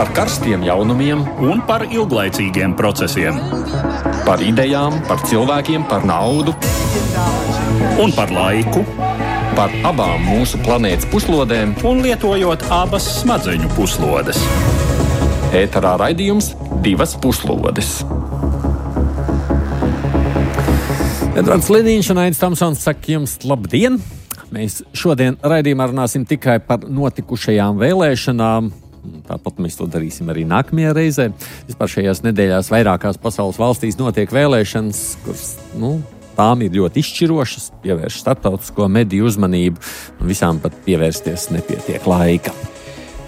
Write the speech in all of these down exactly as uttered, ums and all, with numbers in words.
Par karstiem jaunumiem un par ilglaicīgiem procesiem. Par idejām, par cilvēkiem, par naudu un par laiku. Par abām mūsu planētas puslodēm un lietojot abas smadzeņu puslodes. Ēterā raidījums Divas puslodes. Edvards Liniņš un Aidis Tomsons saka jums labdien! Mēs šodien raidījumā runāsim tikai par notikušajām vēlēšanām. Tāpat mēs to darīsim arī nākamajā reizē. Vispār šajās nedēļās vairākās pasaules valstīs notiek vēlēšanas, kuras, nu, tām ir ļoti izšķirošas, pievērš starptautisko mediju uzmanību, un visām pat pievērsties nepietiek laika.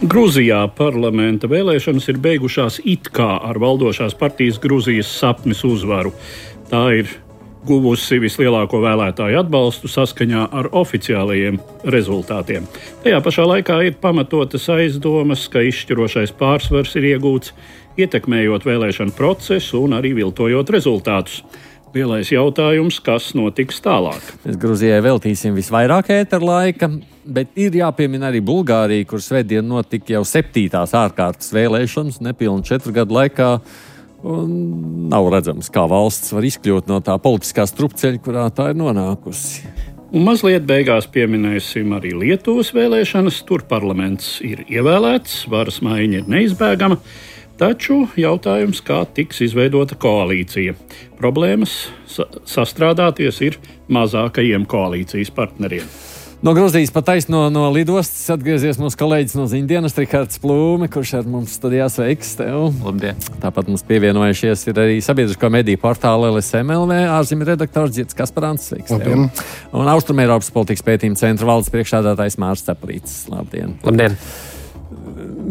Grūzijā parlamenta vēlēšanas ir beigušās it kā ar valdošās partijas Grūzijas sapnis uzvaru. Tā ir guvusi vislielāko vēlētāju atbalstu saskaņā ar oficiālajiem rezultātiem. Tajā pašā laikā ir pamatotas aizdomas, ka izšķirošais pārsvars ir iegūts, ietekmējot vēlēšanu procesu un arī viltojot rezultātus. Lielais jautājums, kas notiks tālāk? Mēs Grūzijai veltīsim visvairāk ētera laika, bet ir jāpiemina arī Bulgārija, kur svētdien notika jau septītās ārkārtas vēlēšanas nepilnu četru gadu laikā. Un nav redzams, kā valsts var izkļūt no tā politiskā strupceļa, kurā tā ir nonākusi. Un mazliet beigās pieminēsim arī Lietuvas vēlēšanas. Tur parlaments ir ievēlēts, varas maiņa ir neizbēgama, taču jautājums, kā tiks izveidota koalīcija. Problēmas sa- sastrādāties ir mazākajiem koalīcijas partneriem. No Grūzijas pa taisno no lidostas atgriezies mūsu kolēģis no ziņdienas Rihards Plūme, kurš ar mums studijā sveiks tev. Labdien! Tāpat mums pievienojušies ir arī sabiedrisko mediju portāla L S M L V ārzemju redaktors Dzirds Kasparāns. Sveiks tev! Un Austrumeiropas politikas pētījuma centra valdes priekšsēdētājs Mārs Ceplītis. Labdien! Labdien!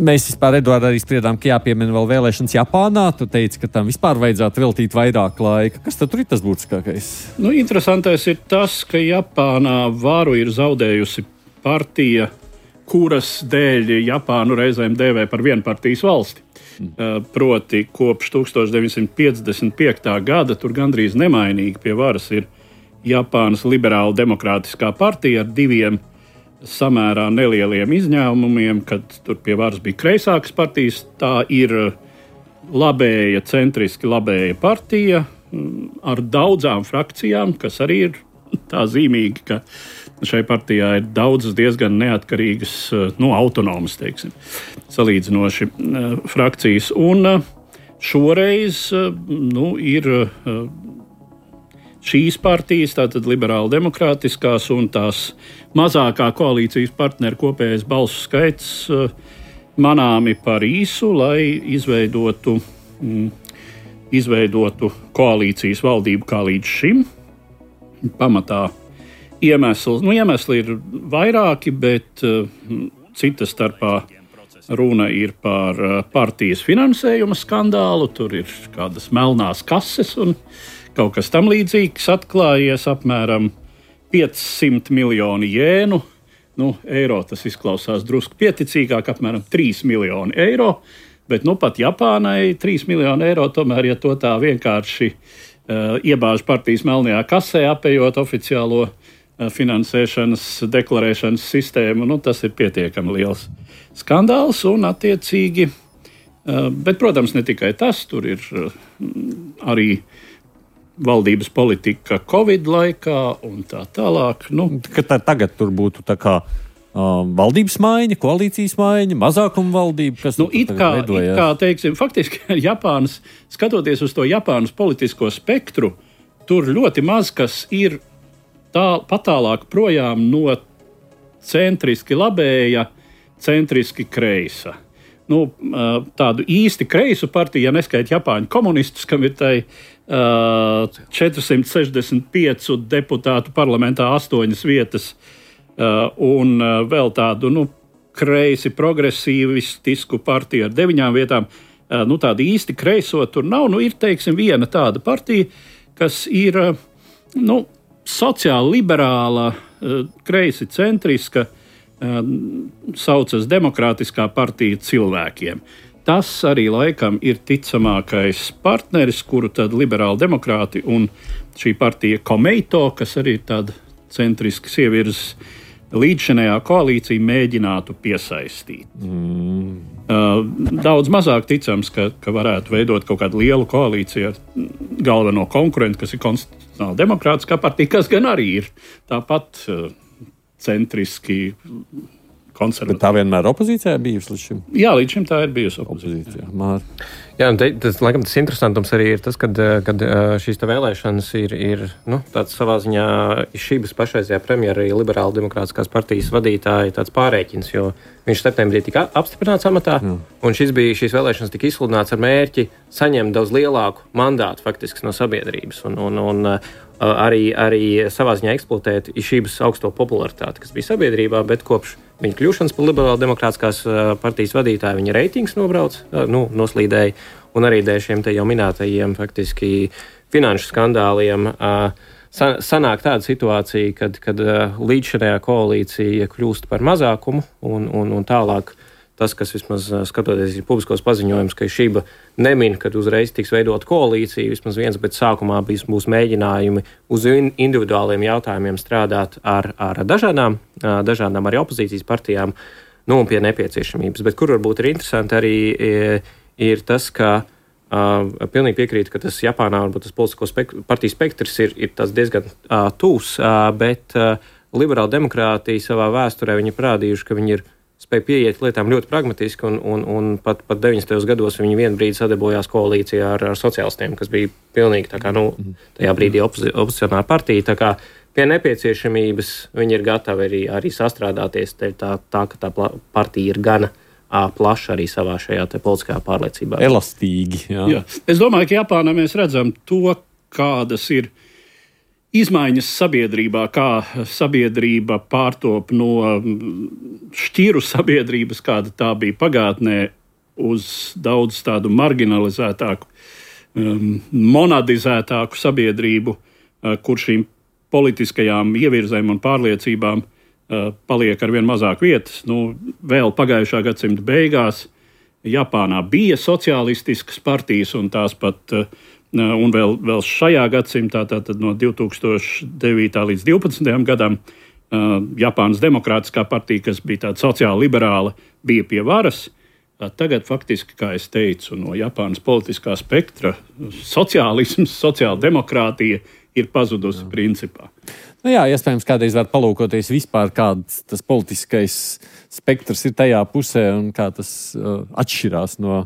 Mēs vispār, Eduard, arī spriedām, ka jāpiemina vēl vēlēšanas Japānā. Tu teici, ka tam vispār vajadzētu veltīt vairāk laika. Kas tad tur ir tas būtiskākais? Nu, interesantais ir tas, ka Japānā varu ir zaudējusi partija, kuras dēļ Japānu reizēm dēvē par vienpartijas valsti. Mm. Proti, kopš tūkstoš deviņsimt piecdesmit piektā gada tur gandrīz nemainīgi pie varas ir Japānas liberāla demokrātiskā partija ar diviem samērā nelieliem izņēmumiem, kad tur pie varas bija kreisākas partijas. Tā ir labēja, centriski labēja partija ar daudzām frakcijām, kas arī ir tā zīmīgi, ka šai partijā ir daudzas diezgan neatkarīgas, nu, autonomas, teiksim, salīdzinoši frakcijas. Un šoreiz, nu, ir šīs partijas, tātad liberāli demokrātiskās un tās mazākā koalīcijas partneru kopējais balsu skaits manāmi par īsu, lai izveidotu, mm, izveidotu koalīcijas valdību kā līdz šim. Pamatā iemesli, nu, iemesli ir vairāki, bet uh, cita starpā runa ir par uh, partijas finansējuma skandālu, tur ir kādas melnās kases un kaut kas tam līdzīgs atklājies, apmēram piecsimt miljoni jēnu. Nu, eiro tas izklausās drusku pieticīgāk, apmēram trīs miljoni eiro. Bet nu, pat Japānai trīs miljoni eiro, tomēr, ja to tā vienkārši uh, iebāž partijas melnajā kasē, apējot oficiālo uh, finansēšanas deklarēšanas sistēmu, nu, tas ir pietiekami liels skandāls un attiecīgi. Uh, bet, protams, ne tikai tas, tur ir uh, arī valdības politika Covid laikā un tā tālāk. Nu, ka tā, tagad tur būtu tā kā uh, valdības maiņa, koalīcijas maiņa, mazākuma valdība, kas nu, it kā, it kā, teiksim, faktiski Japānas, skatoties uz to Japānas politisko spektru, tur ļoti maz kas ir tā, patālāk projām no centriski labēja, centriski kreisa. Nu, tādu īsti kreisu partiju, ja neskaita Japāņu komunistus, kam ir tai uh, četrsimt sešdesmit pieci deputātu parlamentā astoņas vietas, uh, un uh, vēl tādu nu, kreisi progresīvistisku partiju ar deviņām vietām. Uh, nu, tādu īsti kreiso tur nav. Nu, ir, teiksim, viena tāda partija, kas ir uh, nu, sociāli liberāla, uh, kreisi centriska, saucas Demokrātiskā partija cilvēkiem. Tas arī laikam ir ticamākais partneris, kuru tad liberāli demokrāti un šī partija Komeito, kas arī ir tāda centriska sievietes līdzšinējā koalīcija mēģinātu piesaistīt. Mm. Uh, daudz mazāk ticams, ka, ka varētu veidot kaut kādu lielu koalīciju ar galveno konkurentu, kas ir konstitucionāli demokrātiskā partija, kas gan arī ir tāpat uh, centriski konservatīvi. Bet tā vienmēr opozīcijā bijusi līdz šim? Jā, līdz šim tā ir bijusi opozīcijā. opozīcijā. Jā, un te, tas, laikam, tas interesantums arī ir tas, kad, kad šīs te vēlēšanas ir, ir nu, tāds savā ziņā šības pašreizējā premjera arī liberāla demokrātiskās partijas vadītāja tāds pārēķins, jo viņš septembrī tika apstiprināts amatā, Jā. un šis bija, šīs vēlēšanas tika izsludināts ar mērķi saņemt daudz lielāku mandātu faktiski no sabiedrības un, un, un arī, arī savā ziņā eksploatēt šības augsto popularitāti, kas bija sabiedrībā, bet kopš viņa kļūšanas par liberāla demokrātiskās partijas vadītāju viņa reitings nobrauc, nu, noslīdēja, un arī dēļ šiem te jau minētajiem faktiski finanšu skandāliem sanāk tāda situācija, kad, kad līdzšinējā koalīcija kļūst par mazākumu un, un, un tālāk tas, kas vismaz skatoties ir publiskos paziņojums, ka šība nemin, kad uzreiz tiks veidot koalīcija, vismaz viens, bet sākumā būs, būs mēģinājumi uz individuāliem jautājumiem strādāt ar, ar dažādām, dažādām arī opozīcijas partijām, nu un pie nepieciešamības. Bet kur varbūt ir interesanti arī ir tas, ka uh, pilnīgi piekrītu, ka tas Japānā varbūt tas politisko spek- partiju spektrs ir, ir tas diezgan uh, tūs, uh, bet uh, liberāla demokrātija savā vēsturē viņi parādījuši, ka viņi ir spēja pieiet lietām ļoti pragmatiski, un, un, un pat, pat deviņdesmitajos gados viņi vienu brīdi sadarbojās koalīcijā ar, ar sociālistiem, kas bija pilnīgi tā kā, nu, tajā brīdī opozi, opozicionāra partija. Tā kā pie nepieciešamības viņi ir gatavi arī, arī sastrādāties, tā, tā ka tā partija ir gana ā, plaša arī savā šajā te politiskajā pārliecībā. Elastīgi, jā. jā. Es domāju, ka Japānā mēs redzam to, kādas ir izmaiņas sabiedrībā, kā sabiedrība pārtop no šķiru sabiedrības, kāda tā bija pagātnē, uz daudz tādu marginalizētāku, um, monadizētāku sabiedrību, uh, kur šīm politiskajām ievirzēm un pārliecībām uh, paliek arvien mazāk vietas. Nu, vēl pagājušā gadsimta beigās Japānā bija sociālistiskas partijas, un tās pat uh, Un vēl, vēl šajā gadsimtā, tātad no divi tūkstoši devītā līdz divpadsmitajam gadam, uh, Japānas demokrātiskā partija, kas bija tāda sociāli liberāla, bija pie varas. Uh, tagad faktiski, kā es teicu, no Japānas politiskā spektra sociālisms, sociāla demokrātija ir pazudusi principā. Nu jā, iespējams, kādreiz var palūkoties vispār, kāds tas politiskais spektrs ir tajā pusē un kā tas uh, atšķirās no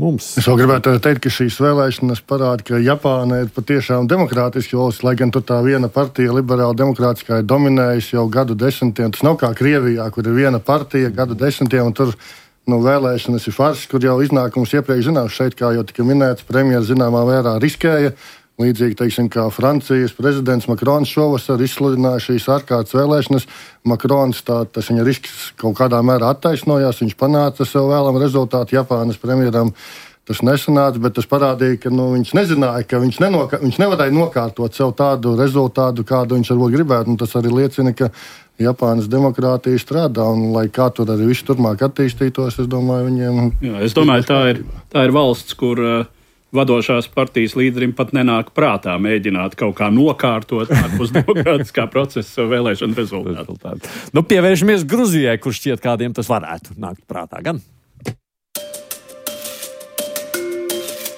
mums. Es vēl gribētu teikt, ka šīs vēlēšanas parāda, ka Japāna ir patiešām demokrātiski valsts, lai gan tur tā viena partija, liberāla demokrātiskā, ir dominējusi jau gadu desmitiem. Tas nav kā Krievijā, kur ir viena partija gadu desmitiem, un tur nu, vēlēšanas ir farss, kur jau iznākums iepriekš zināms. Šeit, kā jau tika minēts, premjeras zināmā mērā riskēja. Līdzīgi, teiksim, kā Francijas prezidents Makrons šovasar izsludināja šīs ārkārtas vēlēšanas. Makrons, tā, tas viņa risks kaut kādā mērā attaisnojās, viņš panāca sev vēlamu rezultātu. Japānas premjeram tas nesanāca, bet tas parādīja, ka nu, viņš nezināja, ka viņš, nenoka, viņš nevarēja nokārtot sev tādu rezultātu, kādu viņš varbūt gribētu. Un tas arī liecina, ka Japānas demokrātija strādā, un lai kā tur arī viss turpmāk attīstītos, es domāju, viņiem... Jā, es domāju, tā ir, tā ir valsts, kur... Uh, vadošās partijas līderim pat nenāk prātā mēģināt kaut kā nokārtot ārpus demokrātiskā procesa vēlēšanu rezultātu. Nu, pievēršamies Gruzijai, kur šķiet kādiem tas varētu nākt prātā gan.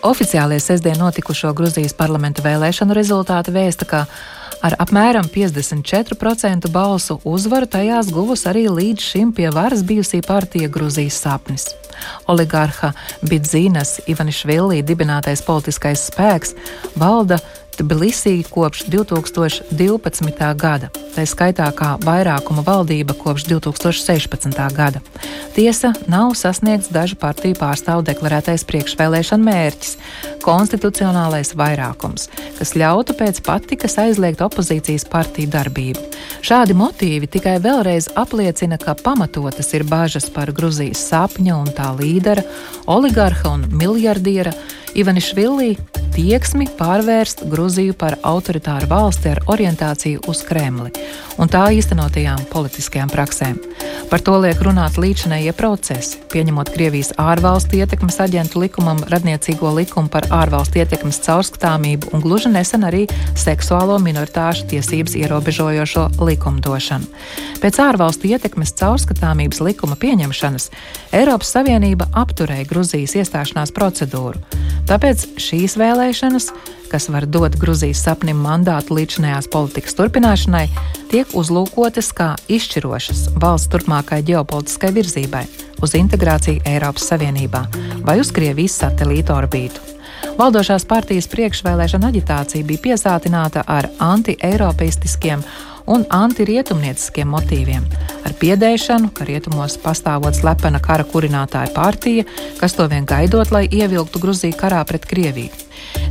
Oficiālie sestdien notikušo Gruzijas parlamenta vēlēšanu rezultāti vēsta, ka ar apmēram piecdesmit četru procentu balsu uzvaru tajās guvusi arī līdz šim pie varas bijusī partija Gruzijas sapnis. Oligarha Bidzīnas Ivanišvili dibinātais politiskais spēks valda Tbilisī kopš divi tūkstoši divpadsmitā gada, tā skaitā kā vairākuma valdība kopš divi tūkstoši sešpadsmitā gada. Tiesa, nav sasniegts dažu partiju pārstāvu deklarētais priekšvēlēšana mērķis – konstitucionālais vairākums, kas ļautu pēc patikas aizliegt opozīcijas partiju darbību. Šādi motīvi tikai vēlreiz apliecina, ka pamatotas ir bažas par Gruzijas sapņa un tā līdera, oligarha un miljardiera Ivanišvili tieksmi pārvērst Gruziju par autoritāru valsti ar orientāciju uz Kremli un tā īstenotajām politiskajām praksēm. Par to liek runāt līdzinējie procesi, pieņemot Krievijas ārvalstu ietekmes aģentu likumam radniecīgo likumu par ārvalstu ietekmes caurskatāmību un gluži nesen arī seksuālo minoritāšu tiesības ierobežojošo likumdošanu. Pēc ārvalstu ietekmes caurskatāmības likuma pieņemšanas Eiropas Savienība apturēja Gruzijas iestāšanās procedūru. Tāpēc šīs vēlēšanas, kas var dot Gruzijas sapnim mandātu līdzinājās politikas turpināšanai, tiek uzlūkotas kā izšķirošas valsts turpmākai ģeopolitiskai virzībai uz integrāciju Eiropas Savienībā vai uz Krievijas satelīta orbītu. Valdošās partijas priekšvēlēšana aģitācija bija piesātināta ar anti-eiropeistiskiem un antirietumnieciskiem motīviem, ar piedēšanu, ka rietumos pastāvot slepena kara kurinātāja partija, kas to vien gaidot, lai ievilktu Gruziju karā pret Krieviju.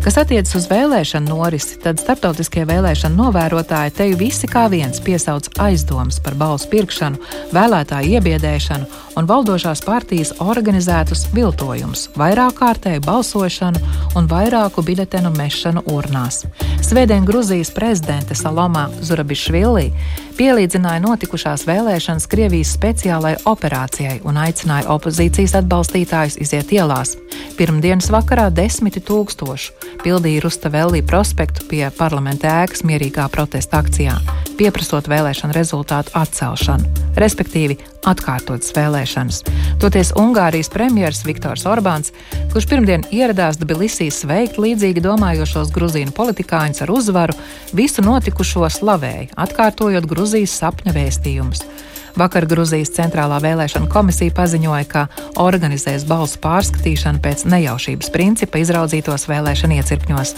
Kas attiecas uz vēlēšanu norisi, tad starptautiskie vēlēšanu novērotāji teju visi kā viens piesauc aizdomas par balsu pirkšanu, vēlētāju iebiedēšanu un valdošās partijas organizētus viltojumus, vairāk kārtēju balsošanu un vairāku biļetenu mešanu urnās. Svētdien Gruzijas prezidente Saloma Zurabišvili pielīdzināja notikušās vēlēšanas Krievijas speciālai operācijai un aicināja opozīcijas atbalstītājus iziet ielās. Pirmdienas vakarā desmiti tūkstošu pildīja Rustaveli prospektu pie parlamenta ēkas mierīgā protesta akcijā, pieprasot vēlēšanu rezultātu atcelšanu, respektīvi atkārtotas vēlēšanas. Toties Ungārijas premjers Viktors Orbāns, kurš pirmdien ieradās Tbilisī sveikt līdzīgi domājošos gruzīnu politikāņus ar uzvaru, visu notikušo slavēja, atkārtojot Gruzijas sapņa vēstījumus. Vakar Gruzijas centrālā vēlēšana komisija paziņoja, ka organizēs balsu pārskatīšanu pēc nejaušības principa izraudzītos vēlēšanu iecirkņos,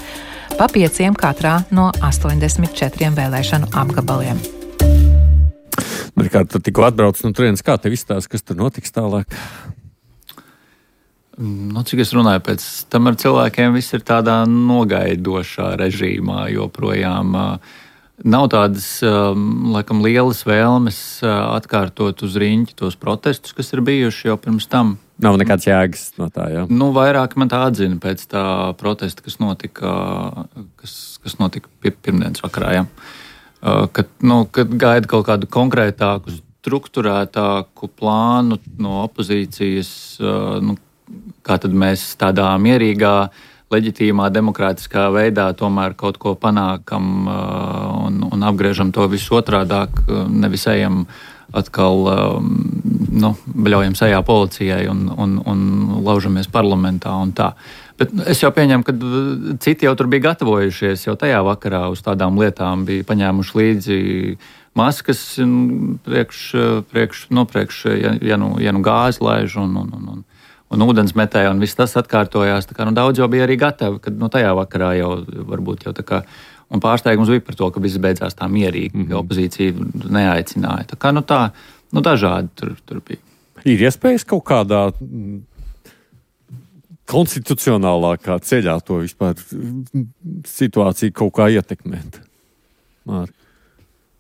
pa pieciem katrā no astoņdesmit četriem vēlēšanu apgabaliem. Rikārd, tu tikko atbrauc no turienes, kā tev izstāsta, kas tur notiks tālāk? Nu, cik es runāju, pēc tam ar cilvēkiem viss ir tādā nogaidošā režīmā, joprojām nav tādas, laikam, lielas vēlmes atkārtot uz riņķi tos protestus, kas ir bijuši jau pirms tam. Nav nekāds jēgas no tā, jā? Nu, vairāk man tā atzina pēc tā protesta, kas notika, kas, kas notika pirmdienas vakarā, jā. Kad, nu, kad gaida kaut kādu konkrētāku, strukturētāku plānu no opozīcijas, nu, kā tad mēs tādā mierīgā, leģitīmā, demokrātiskā veidā tomēr kaut ko panākam un, un apgriežam to visu otrādāk, nevis ejam atkal, nu, bļaujam sejā policijai un, un, un laužamies parlamentā un tā. Bet es jau pieņemu, ka citi jau tur bija gatavojušies, jau tajā vakarā uz tādām lietām bija paņēmuši līdzi maskas priekš, priekš, no priekš, ja, ja, nu, ja nu gāzi laiž un, un, un, un un ūdens metēja, un viss tas atkārtojās. Tā kā, nu, daudz jau bija arī gatavi, kad no tajā vakarā jau varbūt jau tā kā, un pārsteigums bija par to, ka viss beidzās tā mierīgi, mm-hmm. ka opozīcija neaicināja. Tā kā, nu tā, nu dažādi tur, tur bija. Ir iespējas kaut kādā konstitucionālākā ceļā to vispār situāciju kaut kā ietekmēt? Māri.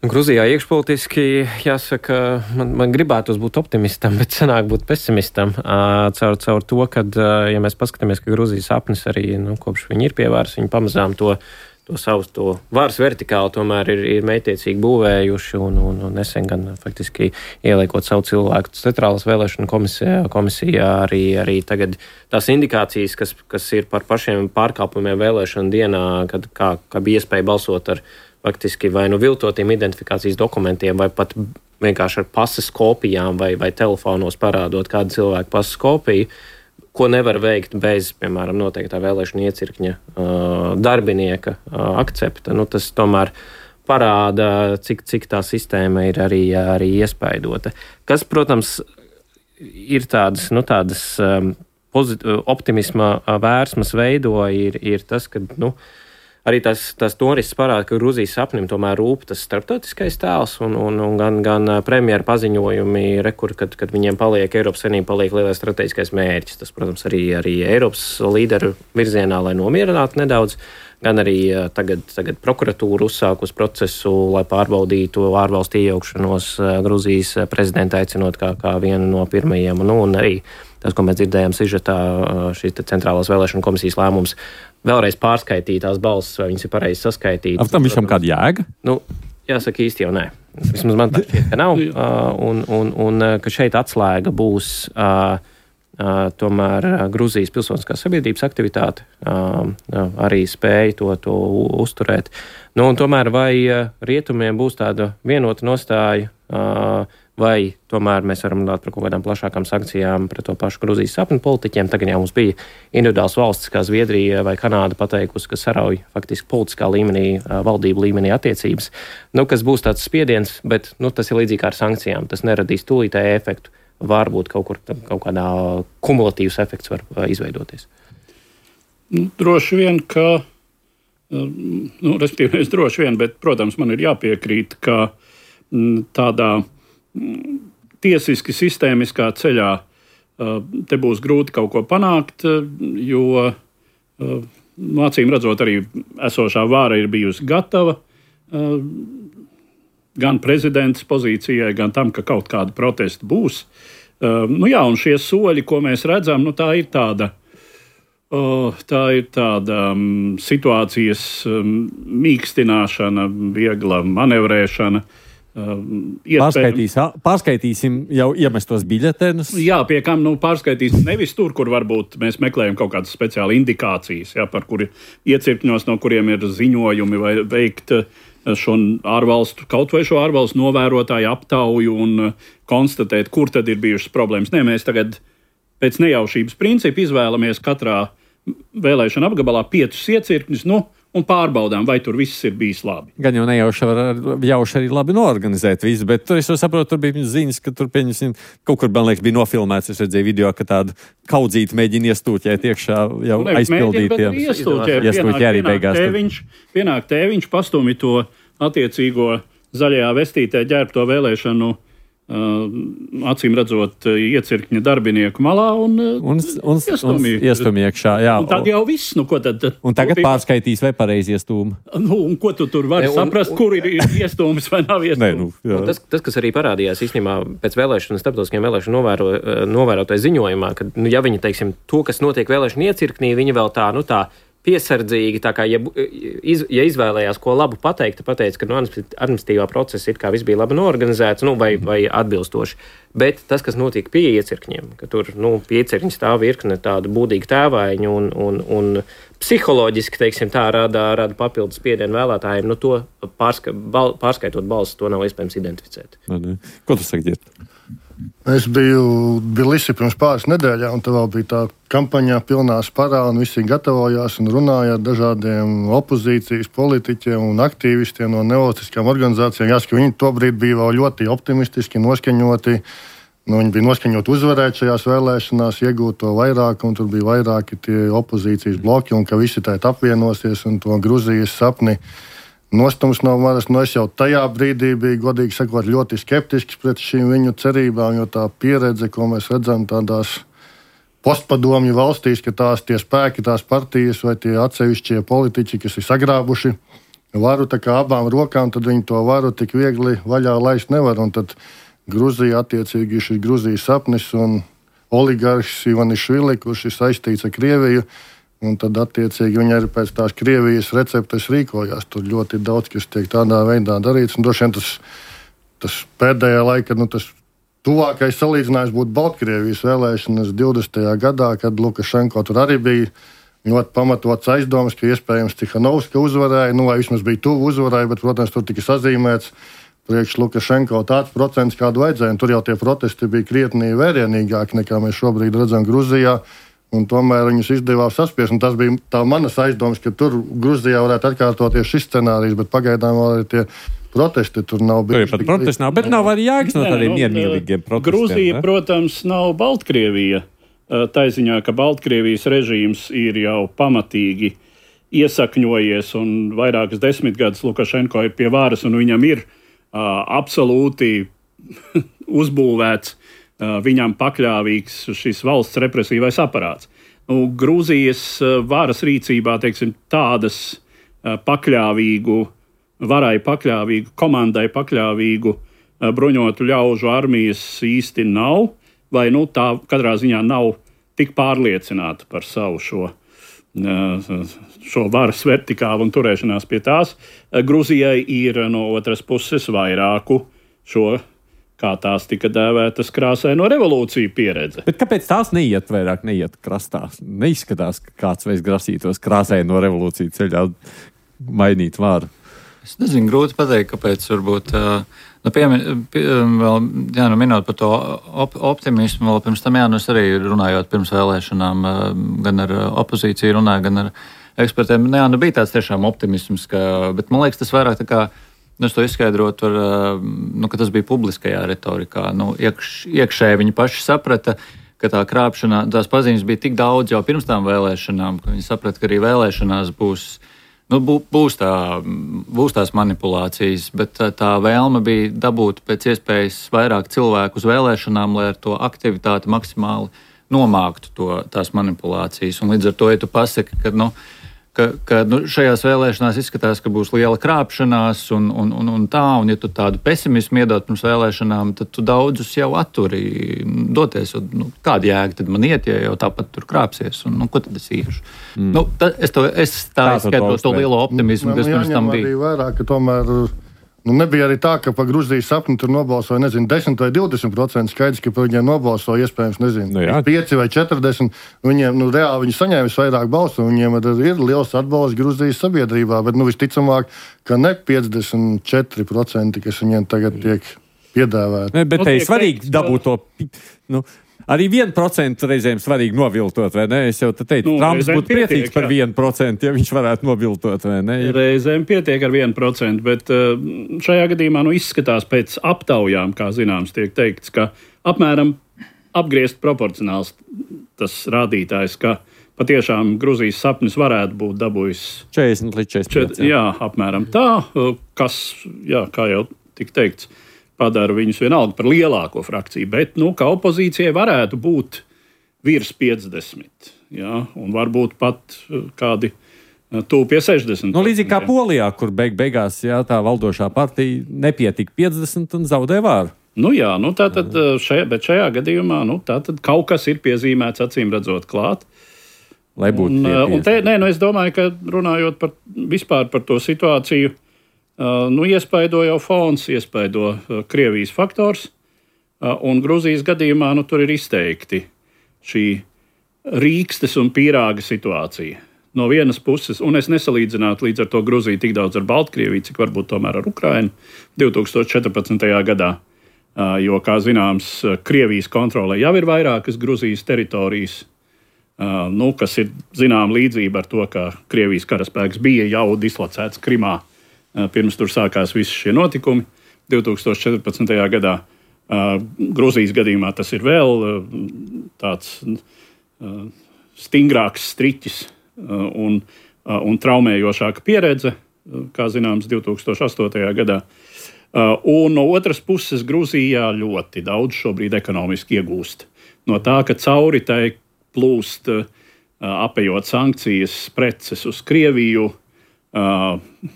Gruzijā iekšpolitiski, jāsaka, man, man gribētos būt optimistam, bet sanāk būt pesimistam. Caur, caur to, kad, ja mēs paskatāmies, ka Gruzijas sapnis arī, nu, kopš viņi ir pie varas, viņi pamazām to, to savu to varas vertikāli tomēr ir, ir mētiecīgi būvējuši un, un, un nesen gan faktiski ieliekot savu cilvēku centrālas vēlēšanu komisijā, komisijā arī, arī tagad tās indikācijas, kas, kas ir par pašiem pārkāpumiem vēlēšanu dienā, kad kā, kā bija iespēja balsot ar faktiski vai nu viltotiem identifikācijas dokumentiem, vai pat vienkārši ar pases kopijām, vai, vai telefonos parādot kādu cilvēku pases kopiju, ko nevar veikt bez, piemēram, noteiktā vēlēšana iecirkņa uh, darbinieka uh, akcepta. Nu, tas tomēr parāda, cik, cik tā sistēma ir arī, arī iespaidota. Kas, protams, ir tādas, nu, tādas um, pozit- optimisma vērsmas veido, ir, ir tas, ka, nu, arī tās, tās norises parāda, ka Gruzijas sapnim tomēr rūp tas starptautiskais tēls un, un, un gan, gan premjera paziņojumi, rekur, kad, kad viņiem paliek, Eiropas Savienība paliek lielais strateģiskais mērķis. Tas, protams, arī, arī Eiropas līderu virzienā, lai nomierinātu nedaudz, gan arī tagad, tagad prokuratūra uzsākus procesu, lai pārbaudītu ārvalstu iejaukšanos Gruzijas prezidenta aicinot kā, kā vienu no pirmajiem, nu, un arī tas, ko mēs dzirdējām sižetā, šīs centrālās vēlēšanu komisijas lēmums vēlreiz pārskaitīt tās balsis, vai viņas ir pareizi saskaitītas. Ar tam visam kāda jēga? Nu, jāsaka īsti jau nē. Vismaz man tā šķiet, ka nav. Un, un, un ka šeit atslēga būs uh, uh, tomēr Gruzijas pilsoniskās sabiedrības aktivitāte, uh, uh, arī spēja to, to uzturēt. Nu, un tomēr vai uh, rietumiem būs tāda vienota nostāja, uh, vai tomēr mēs varam runāt par kaut kādām plašākām sankcijām pret to pašu Gruzijas sapņu politiķiem. Tagad jau mums bija individuāls valstis, kā Zviedrija vai Kanāda pateikusi, ka sarauj faktiski politiskā līmenī, valdību līmenī attiecības, nu, kas būs tāds spiediens, bet nu, tas ir līdzīgi kā ar sankcijām. Tas neradīs tūlītēju efektu. Varbūt kaut kur kaut kādā kumulatīvs efekts var izveidoties. Nu, droši vien, ka, nu, respektīvi, es droši vien, bet, protams, man ir jāpiekrīt, ka tādā tiesiski sistēmiskā ceļā te būs grūti kaut ko panākt, jo acīm redzot arī esošā vāra ir bijusi gatava gan prezidents pozīcijai, gan tam, ka kaut kāda protesta būs. Nu jā, un šie soļi, ko mēs redzam, nu tā ir tāda, tā ir tāda situācijas mīkstināšana, viegla manevrēšana. Pārskaitīs, pārskaitīsim jau iemestos biļetenus. Jā, pie kam nu, pārskaitīsim nevis tur, kur varbūt mēs meklējam kaut kādas speciālas indikācijas, jā, par kuri iecirkņos, no kuriem ir ziņojumi vai veikt šo ārvalstu, kaut vai šo ārvalstu novērotāju aptauju un konstatēt, kur tad ir bijušas problēmas. Nē, mēs tagad pēc nejaušības principa izvēlamies katrā vēlēšana apgabalā piecus iecirkņus, nu, un pārbaudām, vai tur viss ir bijis labi. Gan jau nejauši var jauši arī labi noorganizēt visu, bet tur es saprotu, tur bija ziņas, ka tur pieņemsim, kaut kur, man liekas, bija nofilmēts, es redzēju video, ka tādu kaudzīti mēģina iestūķēt iekšā jau nu, aizpildītiem. Iestūķē arī beigās. Tēviņš, pienāk tēviņš, pastumi to attiecīgo zaļajā vestītē ģērbto vēlēšanu Uh, acīm redzot, iecirkņa darbinieku malā un, un, un iestumi iekšā. Jā. Un tad jau viss, nu ko tad? Un tagad pārskaitīs, vai pareizi iestūmi. Nu, un ko tu tur vari ne, un, saprast, un, kur ir iestūmis vai nav iestūmis? Nu, tas, tas, kas arī parādījās īstenībā pēc vēlēšanu, starptautiskiem vēlēšanu novēro, novērotāju ziņojumā, ka, nu, ja viņi, teiksim, to, kas notiek vēlēšanu iecirknī, viņi vēl tā, nu tā, piesardzīgi, tā kā, ja, iz, ja izvēlējās ko labu pateikt, pateica, ka no administratīvā procesa it kā viss bija labi noorganizēts, nu, vai, vai atbilstoši. Bet tas, kas notika pie iecirkņiem, ka tur, nu, pie iecirkņa stāv virkne tādu būdīgu tēvaiņu un, un, un psiholoģiski, teiksim, tā rada, rada papildus spiedienu vēlētājiem, nu, to pārska, bal, pārskaitot balsis, to nav iespējams identificēt. Ko tu saki, Ģirt? Es biju Bilisī pirms pāris nedēļām, un tā vēl bija tā kampaņā pilnā sparā, un visi gatavojās un runāja ar dažādiem opozīcijas politiķiem un aktīvistiem no nevalstiskām organizācijām. Jāsaka, viņi tobrīd bija vēl ļoti optimistiski noskaņoti. Nu, viņi bija noskaņoti uzvarēt šajās vēlēšanās, iegūt to vairāk, un tur bija vairāki tie opozīcijas bloki, un ka visi tēt apvienosies un to Gruzijas sapni nostums no manas. Nu, es jau tajā brīdī biju, godīgi sakot, ļoti skeptisks pret šīm viņu cerībām, jo tā pieredze, ko mēs redzam tādās postpadomju valstīs, ka tās tie spēki, tās partijas vai tie atsevišķie politiķi, kas ir sagrābuši varu tā kā abām rokām, tad viņi to varu tik viegli vaļā laist nevar. Un tad Gruzija attiecīgi šis Gruzijas sapnis un oligarhs Ivanišvili, kurš ir saistīts ar Krieviju. Un tad, attiecīgi, viņi arī pēc tās Krievijas receptes rīkojās. Tur ļoti daudz, kas tiek tādā veidā darīts. Un droši vien tas, tas pēdējā laika, nu, tas tuvākais salīdzinājums būtu Baltkrievijas vēlēšanas divdesmitajā gadā, kad Lukašenko tur arī bija ļoti pamatots aizdomas, ka iespējams Tihanovska uzvarēja, nu, vai vismaz bija tuvu uzvarēja, bet, protams, tur tika sazīmēts priekš Lukašenko tāds procents, kādu vajadzēja. Un tur jau tie protesti bija krietni vērienīgāki, nekā mēs šobrīd redzam Gruzijā. Un tomēr viņus izdevās saspiest. Un tas bija tā manas aizdomas, ka tur Gruzijā varētu atkārtoties šis scenārijs, bet pagaidām vēl ir tie protesti. Tur nav bijuši. Tur pat protesti nav, bet nav arī jēgas no tādiem miermīlīgiem protestiem. Gruzija, ne? Protams, nav Baltkrievija. Tā ziņā, ka Baltkrievijas režīms ir jau pamatīgi iesakņojies un vairākas desmitgadus Lukašenko ir pie varas un viņam ir uh, absolūti uzbūvēts viņam pakļāvīgs šis valsts represīvais aparāts. Nu, Grūzijas varas rīcībā, teiksim, tādas pakļāvīgu, varai pakļāvīgu, komandai pakļāvīgu bruņotu ļaužu armijas īsti nav. vai nu, tā katrā ziņā nav tik pārliecināta par savu šo, šo varas vertikālu un turēšanās pie tās. Gruzijai ir no otras puses vairāku šo, kā tās tika dēvētas, krāsaino revolūciju pieredze. Bet kāpēc tās neiet vairāk, neiet krastā? Neizskatās, ka kāds veids grasītos krāsaino revolūciju ceļā mainīt varu. Es nezinu, grūti pateikt, kāpēc varbūt, nu, piemin, pie, vēl, jā, nu, minot par to op, optimismu, vēl pirms tam, jā, nu, es arī runājot pirms vēlēšanām, gan ar opozīciju runāju, gan ar ekspertiem, nu, jā, nu, bija tāds tiešām optimisms, ka, bet man liekas, tas vairāk tā kā, nu, es to izskaidrotu, ar, nu, ka tas bija publiskajā retorikā. Nu, iekš, iekšēji viņi paši saprata, ka tā krāpšanā, tās pazīmes bija tik daudz jau pirms tām vēlēšanām, ka viņi saprata, ka arī vēlēšanās būs, nu, būs, tā, būs tās manipulācijas, bet tā, tā vēlme bija dabūt pēc iespējas vairāk cilvēku uz vēlēšanām, lai ar to aktivitāti maksimāli nomāktu to, tās manipulācijas. Un līdz ar to, ja tu pasaki, ka, nu, ka, ka nu, šajās vēlēšanās izskatās, ka būs liela krāpšanās un, un, un, un tā, un ja tu tādu pesimismu iedod pirms vēlēšanām, tad tu daudzus jau atturi doties. Un, nu, kāda jēga tad man iet, ja jau tāpat tur krāpsies, un nu, ko tad es iešu? Mm. Nu, ta, es, to, es tā izskaidrotu to lielo optimismu, man, kas pirms tam bija. Arī vairāk, ka tomēr... Nu, nebija arī tā, ka par Gruzijas sapni tur nobalsoja, nezinu, desmit vai divdesmit procenti skaidrs, ka par viņiem nobalsoja iespējams, nezinu, nu, pieci vai četrdesmit. Viņiem, nu, reāli viņi saņēma vairāk balsu, un viņiem ir liels atbalsts Gruzijas sabiedrībā, bet, nu, visticamāk, ka ne piecdesmit četri procenti, kas viņiem tagad tiek piedāvāti. Ne, bet te ir svarīgi dabūt to, nu, arī vienu procentu reizēm svarīgi noviltot, vai ne? Es jau te teicu, nu, Trumps būtu priecīgs par vienu procentu, ja viņš varētu noviltot, vai ne? Reizēm pietiek ar vienu procentu, bet šajā gadījumā nu, izskatās pēc aptaujām, kā zināms, tiek teikts, ka apmēram apgriezt proporcionāls tas rādītājs, ka patiešām Gruzijas sapnis varētu būt dabūjis četrdesmit līdz četrdesmit pieci. Jā, apmēram tā, kas, jā, kā jau tik teikts, padara viņus vienalga par lielāko frakciju, bet, nu, ka opozīcijai varētu būt virs piecdesmit, jā, un varbūt pat kādi tuvu pie sešdesmit. Nu, līdzīgi kā Polijā, kur beig beigās, jā, tā valdošā partija nepietika piecdesmit un zaudē vāru. Nu, jā, nu, tātad šajā, bet šajā gadījumā, nu, tātad kaut kas ir piezīmēts, acīm redzot, klāt. Lai būtu un, un te, nē, nu, es domāju, ka runājot par, vispār par to situāciju, Uh, nu, iespaido jau fons, iespaido uh, Krievijas faktors, uh, un Gruzijas gadījumā nu, tur ir izteikti šī rīkstes un pīrāga situācija. No vienas puses, un es nesalīdzinātu līdz ar to Gruziju tik daudz ar Baltkrieviju, cik varbūt tomēr ar Ukrainu divi tūkstoši četrpadsmitajā gadā, uh, jo, kā zināms, Krievijas kontrolē jau ir vairākas Gruzijas teritorijas, uh, nu, kas ir zinām līdzība ar to, ka Krievijas karaspēks bija jau dislocēts Krimā, pirms tur sākās visi šie notikumi divi tūkstoši četrpadsmitajā gadā. Uh, Gruzijas gadījumā tas ir vēl uh, tāds uh, stingrāks striķis uh, un, uh, un traumējošāka pieredze, uh, kā zināms, divi tūkstoši astotajā gadā. Uh, un no otras puses Gruzijā ļoti daudz šobrīd ekonomiski iegūst. No tā, ka cauri tai plūst, uh, apējot sankcijas preces uz Krieviju, Uh,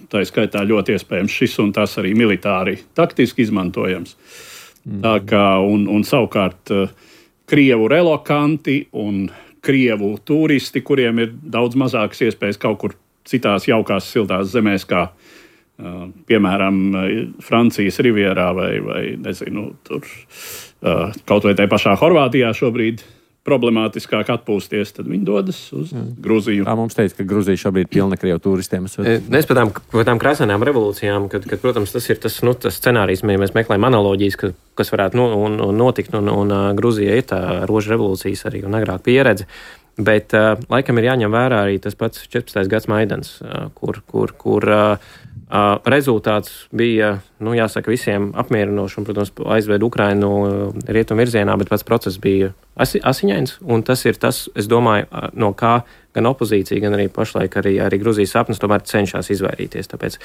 tā ir skaitā ļoti iespējams šis un tas arī militāri taktiski izmantojams. Mm. Tā kā, un, un savukārt uh, Krievu relokanti un Krievu turisti, kuriem ir daudz mazākas iespējas kaut kur citās jaukās siltās zemēs, kā uh, piemēram Francijas rivierā vai, vai nezinu, tur, uh, kaut vai tai pašā Horvātijā šobrīd problemātiskāk atpūsties, tad viņi dodas uz Jā. Gruziju. Tā mums teica, ka Gruzija šobrīd ir pilna Krievu turistiem. Mēs par tām, tām krāsainām revolūcijām, kad, kad, protams, tas ir tas, nu, tas scenārijs, ja mēs meklējam analoģijas, ka, kas varētu no, un, un notikt, un, un Gruzija ir tā rožu revolūcijas arī un agrāk pieredze. Bet uh, laikam ir jāņem vērā arī tas pats četrpadsmitais gads Maidans, uh, kur, kur, kur uh, uh, rezultāts bija, nu, jāsaka, visiem apmierinošs un, protams, aizved Ukrainu uh, rietumu virzienā, bet pats process bija asi, asiņains, un tas ir tas, es domāju, uh, no kā gan opozīcija, gan arī pašlaik arī, arī Gruzijas sapnis tomēr cenšas izvairīties. Tāpēc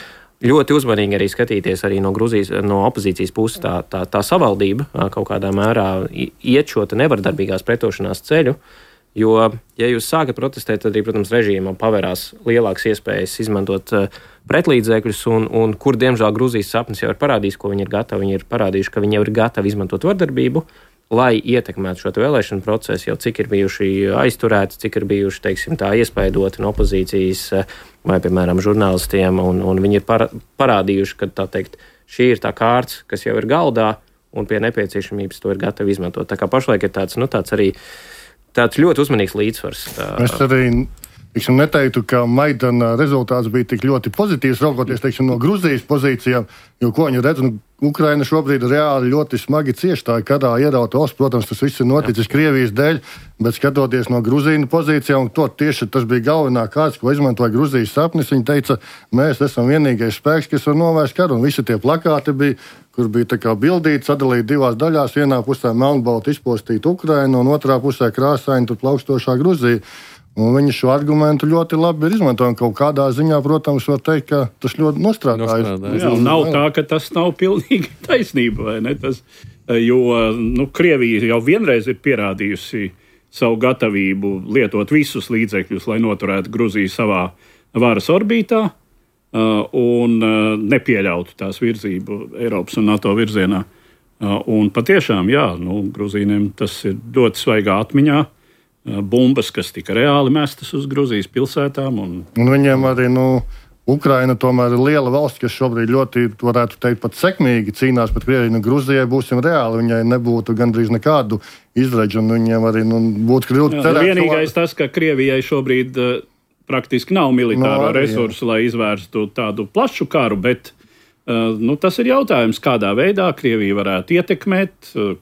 ļoti uzmanīgi arī skatīties arī no, Gruzijas, no opozīcijas puses tā, tā, tā savaldība uh, kaut kādā mērā iet šo nevardarbīgās pretošanās ceļu. Jo, ja jūs sākat protestēt, tad arī, protams, režīmam pavērās lielākas iespējas izmantot uh, pretlīdzekļus, un, un kur, diemžēl, Gruzijas sapnis jau ir parādījis, ko viņi ir gatavi. Viņi ir parādījuši, ka viņi jau ir gatavi izmantot vardarbību, lai ietekmētu šo vēlēšanu procesu, jau cik ir bijuši aizturēti, cik ir bijuši, teiksim, tā iespaidoti no opozīcijas vai, piemēram, žurnālistiem, un, un viņi ir para, parādījuši, ka, tā teikt, šī ir tā kārts, kas jau ir galdā, un pie nepieciešamības to ir gatavi izmantot. Tā kā pašlaik ir tāds, nu, tāds arī tāds ļoti uzmanīgs līdzsvars. Tā... Es arī teiksim, neteiktu, ka Maidana rezultāts bija tik ļoti pozitīvs, raugoties teiksim, no Gruzijas pozīcijām, jo, ko viņi redz, nu, Ukraina šobrīd reāli ļoti smagi cieš tā karā ierauta valsts. Protams, tas viss ir noticis Jā. Krievijas dēļ, bet skatoties no Gruzīnu pozīcijām, to tieši tas bija galvenā kārts, ko izmantoja Gruzijas sapnis. Viņi teica, mēs esam vienīgais spēks, kas var novērst karu, un visi tie plakāti bija, kur bija tā kā bildīti, sadalīti divās daļās. Vienā pusē melnbalti izpostīta Ukraina, un otrā pusē krāsaini tur plaukstošā Gruzija. Un viņi šo argumentu ļoti labi ir izmantojami. Kaut kādā ziņā, protams, var teikt, ka tas ļoti nostrādājas. Jā, nav tā, ka tas nav pilnīgi taisnība, vai ne? Tas, jo nu, Krievija jau vienreiz ir pierādījusi savu gatavību lietot visus līdzekļus, lai noturētu Gruziju savā varas orbītā un nepieļautu tās virzību Eiropas un NATO virzienā. Un patiešām, jā, nu, Gruzīniem tas ir ļoti svaigā atmiņā. Bumbas, kas tika reāli mestas uz Gruzijas pilsētām. Un, un viņiem arī, nu, Ukraina tomēr ir liela valsts, kas šobrīd ļoti, varētu teikt, pat sekmīgi cīnās pret Krieviju. Nu, Gruzijai būsim reāli, viņai nebūtu gandrīz nekādu izredžu, un viņiem arī, nu, būtu grūti cerēt. Vienīgais tā... tas, ka Krievijai šobrīd uh, praktiski nav militāro no, arī, resursu, jā. Lai izvērstu tādu plašu karu, bet uh, nu, tas ir jautājums, kādā veidā Krievija varētu ietekmēt, uh,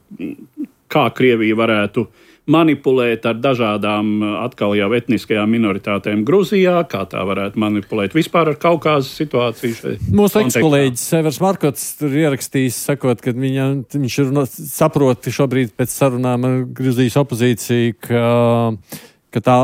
kā Krievija varētu manipulēt ar dažādām atkal jau etniskajām minoritātēm Gruzijā, kā tā varētu manipulēt vispār ar Kaukāzes situāciju. Mūsu ekskolēģis Severs Markots tur ierakstījis, sakot, ka viņa, viņš ir saprot šobrīd pēc sarunām ar Gruzijas opozīciju, ka, ka tā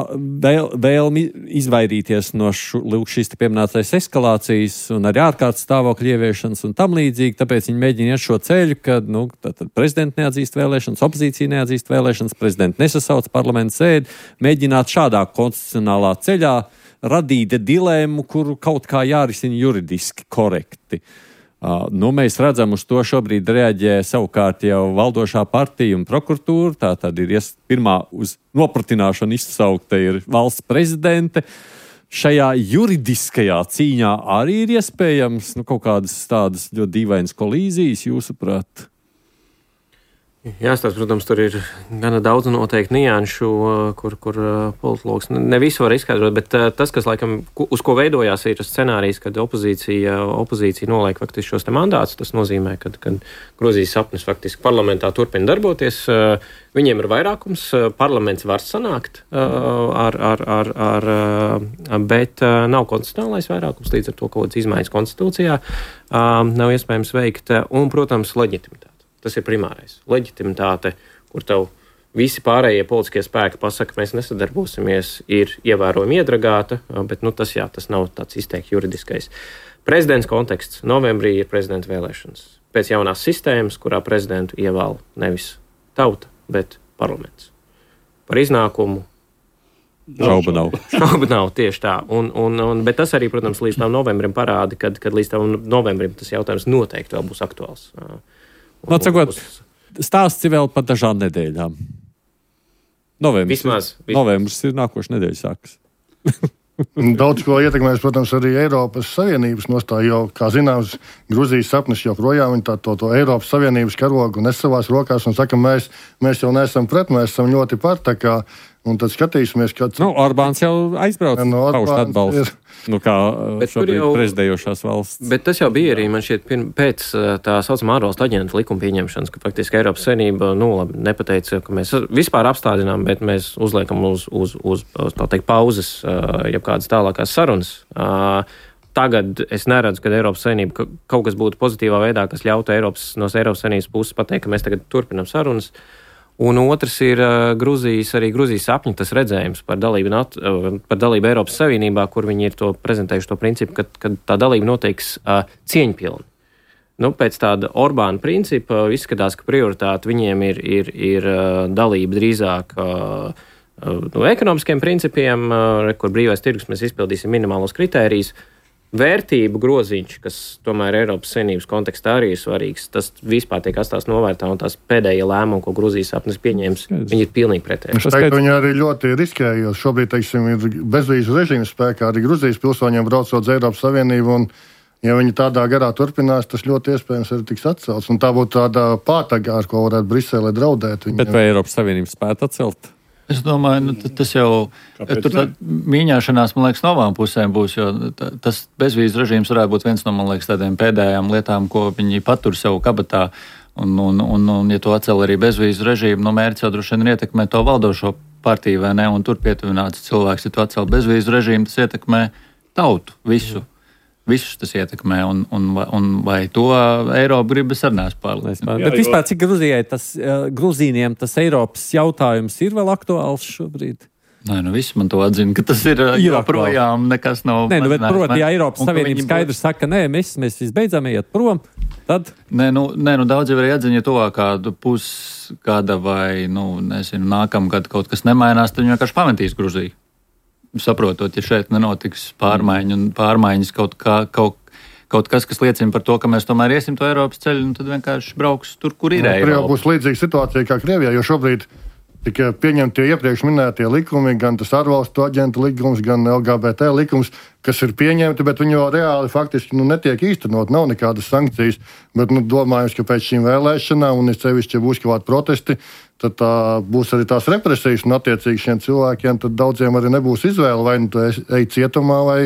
vēl, vēlmi izvairīties no šu, šīs te pieminētais eskalācijas un arī ārkārtas stāvokļa ieviešanas un tam līdzīgi, tāpēc viņi mēģina iet šo ceļu, kad nu, prezidenti neatzīst vēlēšanas, opozīcija neatzīst vēlēšanas, prezidenti nesasauc parlamentu sēdi, mēģināt šādā konstitucionālā ceļā radīt dilēmu, kuru kaut kā jārisina juridiski korekti. Uh, nu, mēs redzam, uz to šobrīd reaģē savukārt jau valdošā partija un prokuratūra. Tā tad ir ies, pirmā uz nopratināšanu izsaukta ir valsts prezidente. Šajā juridiskajā cīņā arī ir iespējams nu, kaut kādas tādas ļoti dīvainas kolīzijas, jūsuprāt? Jāstāsta, protams, tur ir gana daudz noteikti nianšu, kur, kur politologs ne visu var izskaidrot, bet tas, kas laikam, uz ko veidojās, ir scenārijs, kad opozīcija, opozīcija noliek faktiski šos te mandātus. Tas nozīmē, ka Gruzijas sapnis faktiski parlamentā turpina darboties. Viņiem ir vairākums, parlaments var sanākt, ar, ar, ar, ar, bet nav konstitucionālais vairākums, līdz ar to kaut kādas izmaiņas konstitūcijā nav iespējams veikt, un, protams, leģitimitāte. Tas ir primārais. Leģitimitāte, kur tev visi pārējie politiskie spēki pasaka, mēs nesadarbosimies, ir ievērojami iedragāta, bet nu, tas, jā, tas nav tāds izteikti juridiskais. Prezidents konteksts. Novembrī ir prezidenta vēlēšanas. Pēc jaunās sistēmas, kurā prezidentu ievēl nevis tauta, bet parlaments. Par iznākumu Šauba nav. Šauba nav, tieši tā. Un, un, un, bet tas arī, protams, līdz tam novembrim parāda, kad, kad līdz tam novembrim tas jautājums noteikti vēl būs aktuāls. Nu, atsakot, stāsts ir vēl par dažām nedēļām. Novembris, vismaz, vismaz. Novembris ir nākoša nedēļa sākas. Daudz ko ietekmēs, protams, arī Eiropas Savienības nostāja, jo, kā zināms, Gruzijas sapnis joprojām tā, to, to Eiropas Savienības karogu nes savās rokās un saka, mēs, mēs jau neesam pret, mēs esam ļoti par, tā kā, un tad skatīsimies, kāds... Nu, Orbāns jau aizbrauc, no, paust atbalstu, nu, kā šobrīd jau, prezidējošās valsts. Bet tas jau bija arī, man šķiet, pirm, pēc tā saucamā ārvalstu aģentu likuma pieņemšanas, ka faktiski Eiropas Savienība, nu, labi, nepateica, ka mēs vispār apstādinām, bet mēs uzliekam uz, uz, uz, uz tā teikt, pauzes, jeb kādas tālākās sarunas. Tagad es neredzu, ka Eiropas Savienība kaut kas būtu pozitīvā veidā, kas ļautu Eiropas, no Eiropas Savienības puses pateikt, ka mēs tagad turpinam sarunas. Un otrs ir uh, Gruzijas, arī Gruzijas sapņu tas redzējums par dalību, nat, uh, par dalību Eiropas Savienībā, kur viņi ir to prezentējuši to principu, ka, ka tā dalība noteiks uh, cieņpilni. Nu, pēc tāda Orbāna principa izskatās, ka prioritāte viņiem ir, ir, ir uh, dalība drīzāk uh, uh, no ekonomiskiem principiem, uh, kur brīvais tirgus mēs izpildīsim minimālos kritērijus. vērtību groziņš, kas tomēr Eiropas Savienības kontekstā arī ir svarīgs, tas vispār tiek atstāts novērtā, un tās pēdējie lēmumi, ko Gruzijas sapnis pieņēmis, viņi ir pilnīgi pretēji. Es teiktu, viņi arī ļoti riskēja, jo šobrīd, teiksim, ir bezvīzu režīms spēkā, arī Gruzijas pilsoņiem braucot uz Eiropas Savienību, un ja viņi tādā garā turpinās, tas ļoti iespējams arī tiks atcelts, un tā būtu tāda pātaga, ar ko varētu Brisele draudēt. Viņa... Bet vai Eiropas Savienības spētu atcelt? Es domāju, nu, tas jau tur mīņāšanās, man liekas, no abām pusēm būs, jo tas bezvīzu režīms varētu būt viens no, man liekas, tādiem pēdējām lietām, ko viņi patur sev kabatā. Un, un, un, un ja to atcel arī bezvīzu režīmu, no mērķis jau droši vien ietekmē to valdošo partiju, vai ne, un tur pietuvināts cilvēks, ja to atcel bezvīzu režīmu, tas ietekmē tautu, visu. Visus tas ietekmē, un, un, un vai to Eiropa gribas arī neesmu pārliecināts. Bet vispār, cik Gruzijai tas, Gruzīniem tas Eiropas jautājums ir vēl aktuāls šobrīd? Nē, nu viss man to atzina, ka tas ir, ir joprojām nekas nav. Nē, nu, bet proti, ja Eiropas Savienības skaidrs būs... saka, nē, mēs, mēs visbeidzām iet prom, tad... Nē, nu, nē, nu daudz jau arī atzina, ja to kādu pusgada vai, nu, nezinu, nākamgad kaut kas nemainās, tad viņi vienkārši pametīs Gruziju. Saprotot, ja šeit nenotiks pārmaiņu un pārmaiņas kaut, kā, kaut, kaut kas, kas liecina par to, ka mēs tomēr iesim to Eiropas ceļu, un tad vienkārši brauks tur, kur ir Eiropa. Tur būs līdzīga situācija kā Krievijā, jo šobrīd tika pieņemti iepriekš minētie likumi, gan tas ārvalstu aģentu likums, gan L G B T likums, kas ir pieņemti, bet viņi jau reāli faktiski nu, netiek īstenot, nav nekādas sankcijas. Bet nu, domājams, ka pēc šīm vēlēšanām, un es sevišķi, ja būs kādi protesti, tad tā, būs arī tās represijas, un attiecīgi šiem cilvēkiem tad daudziem arī nebūs izvēle, vai nu tu ej cietumā, vai,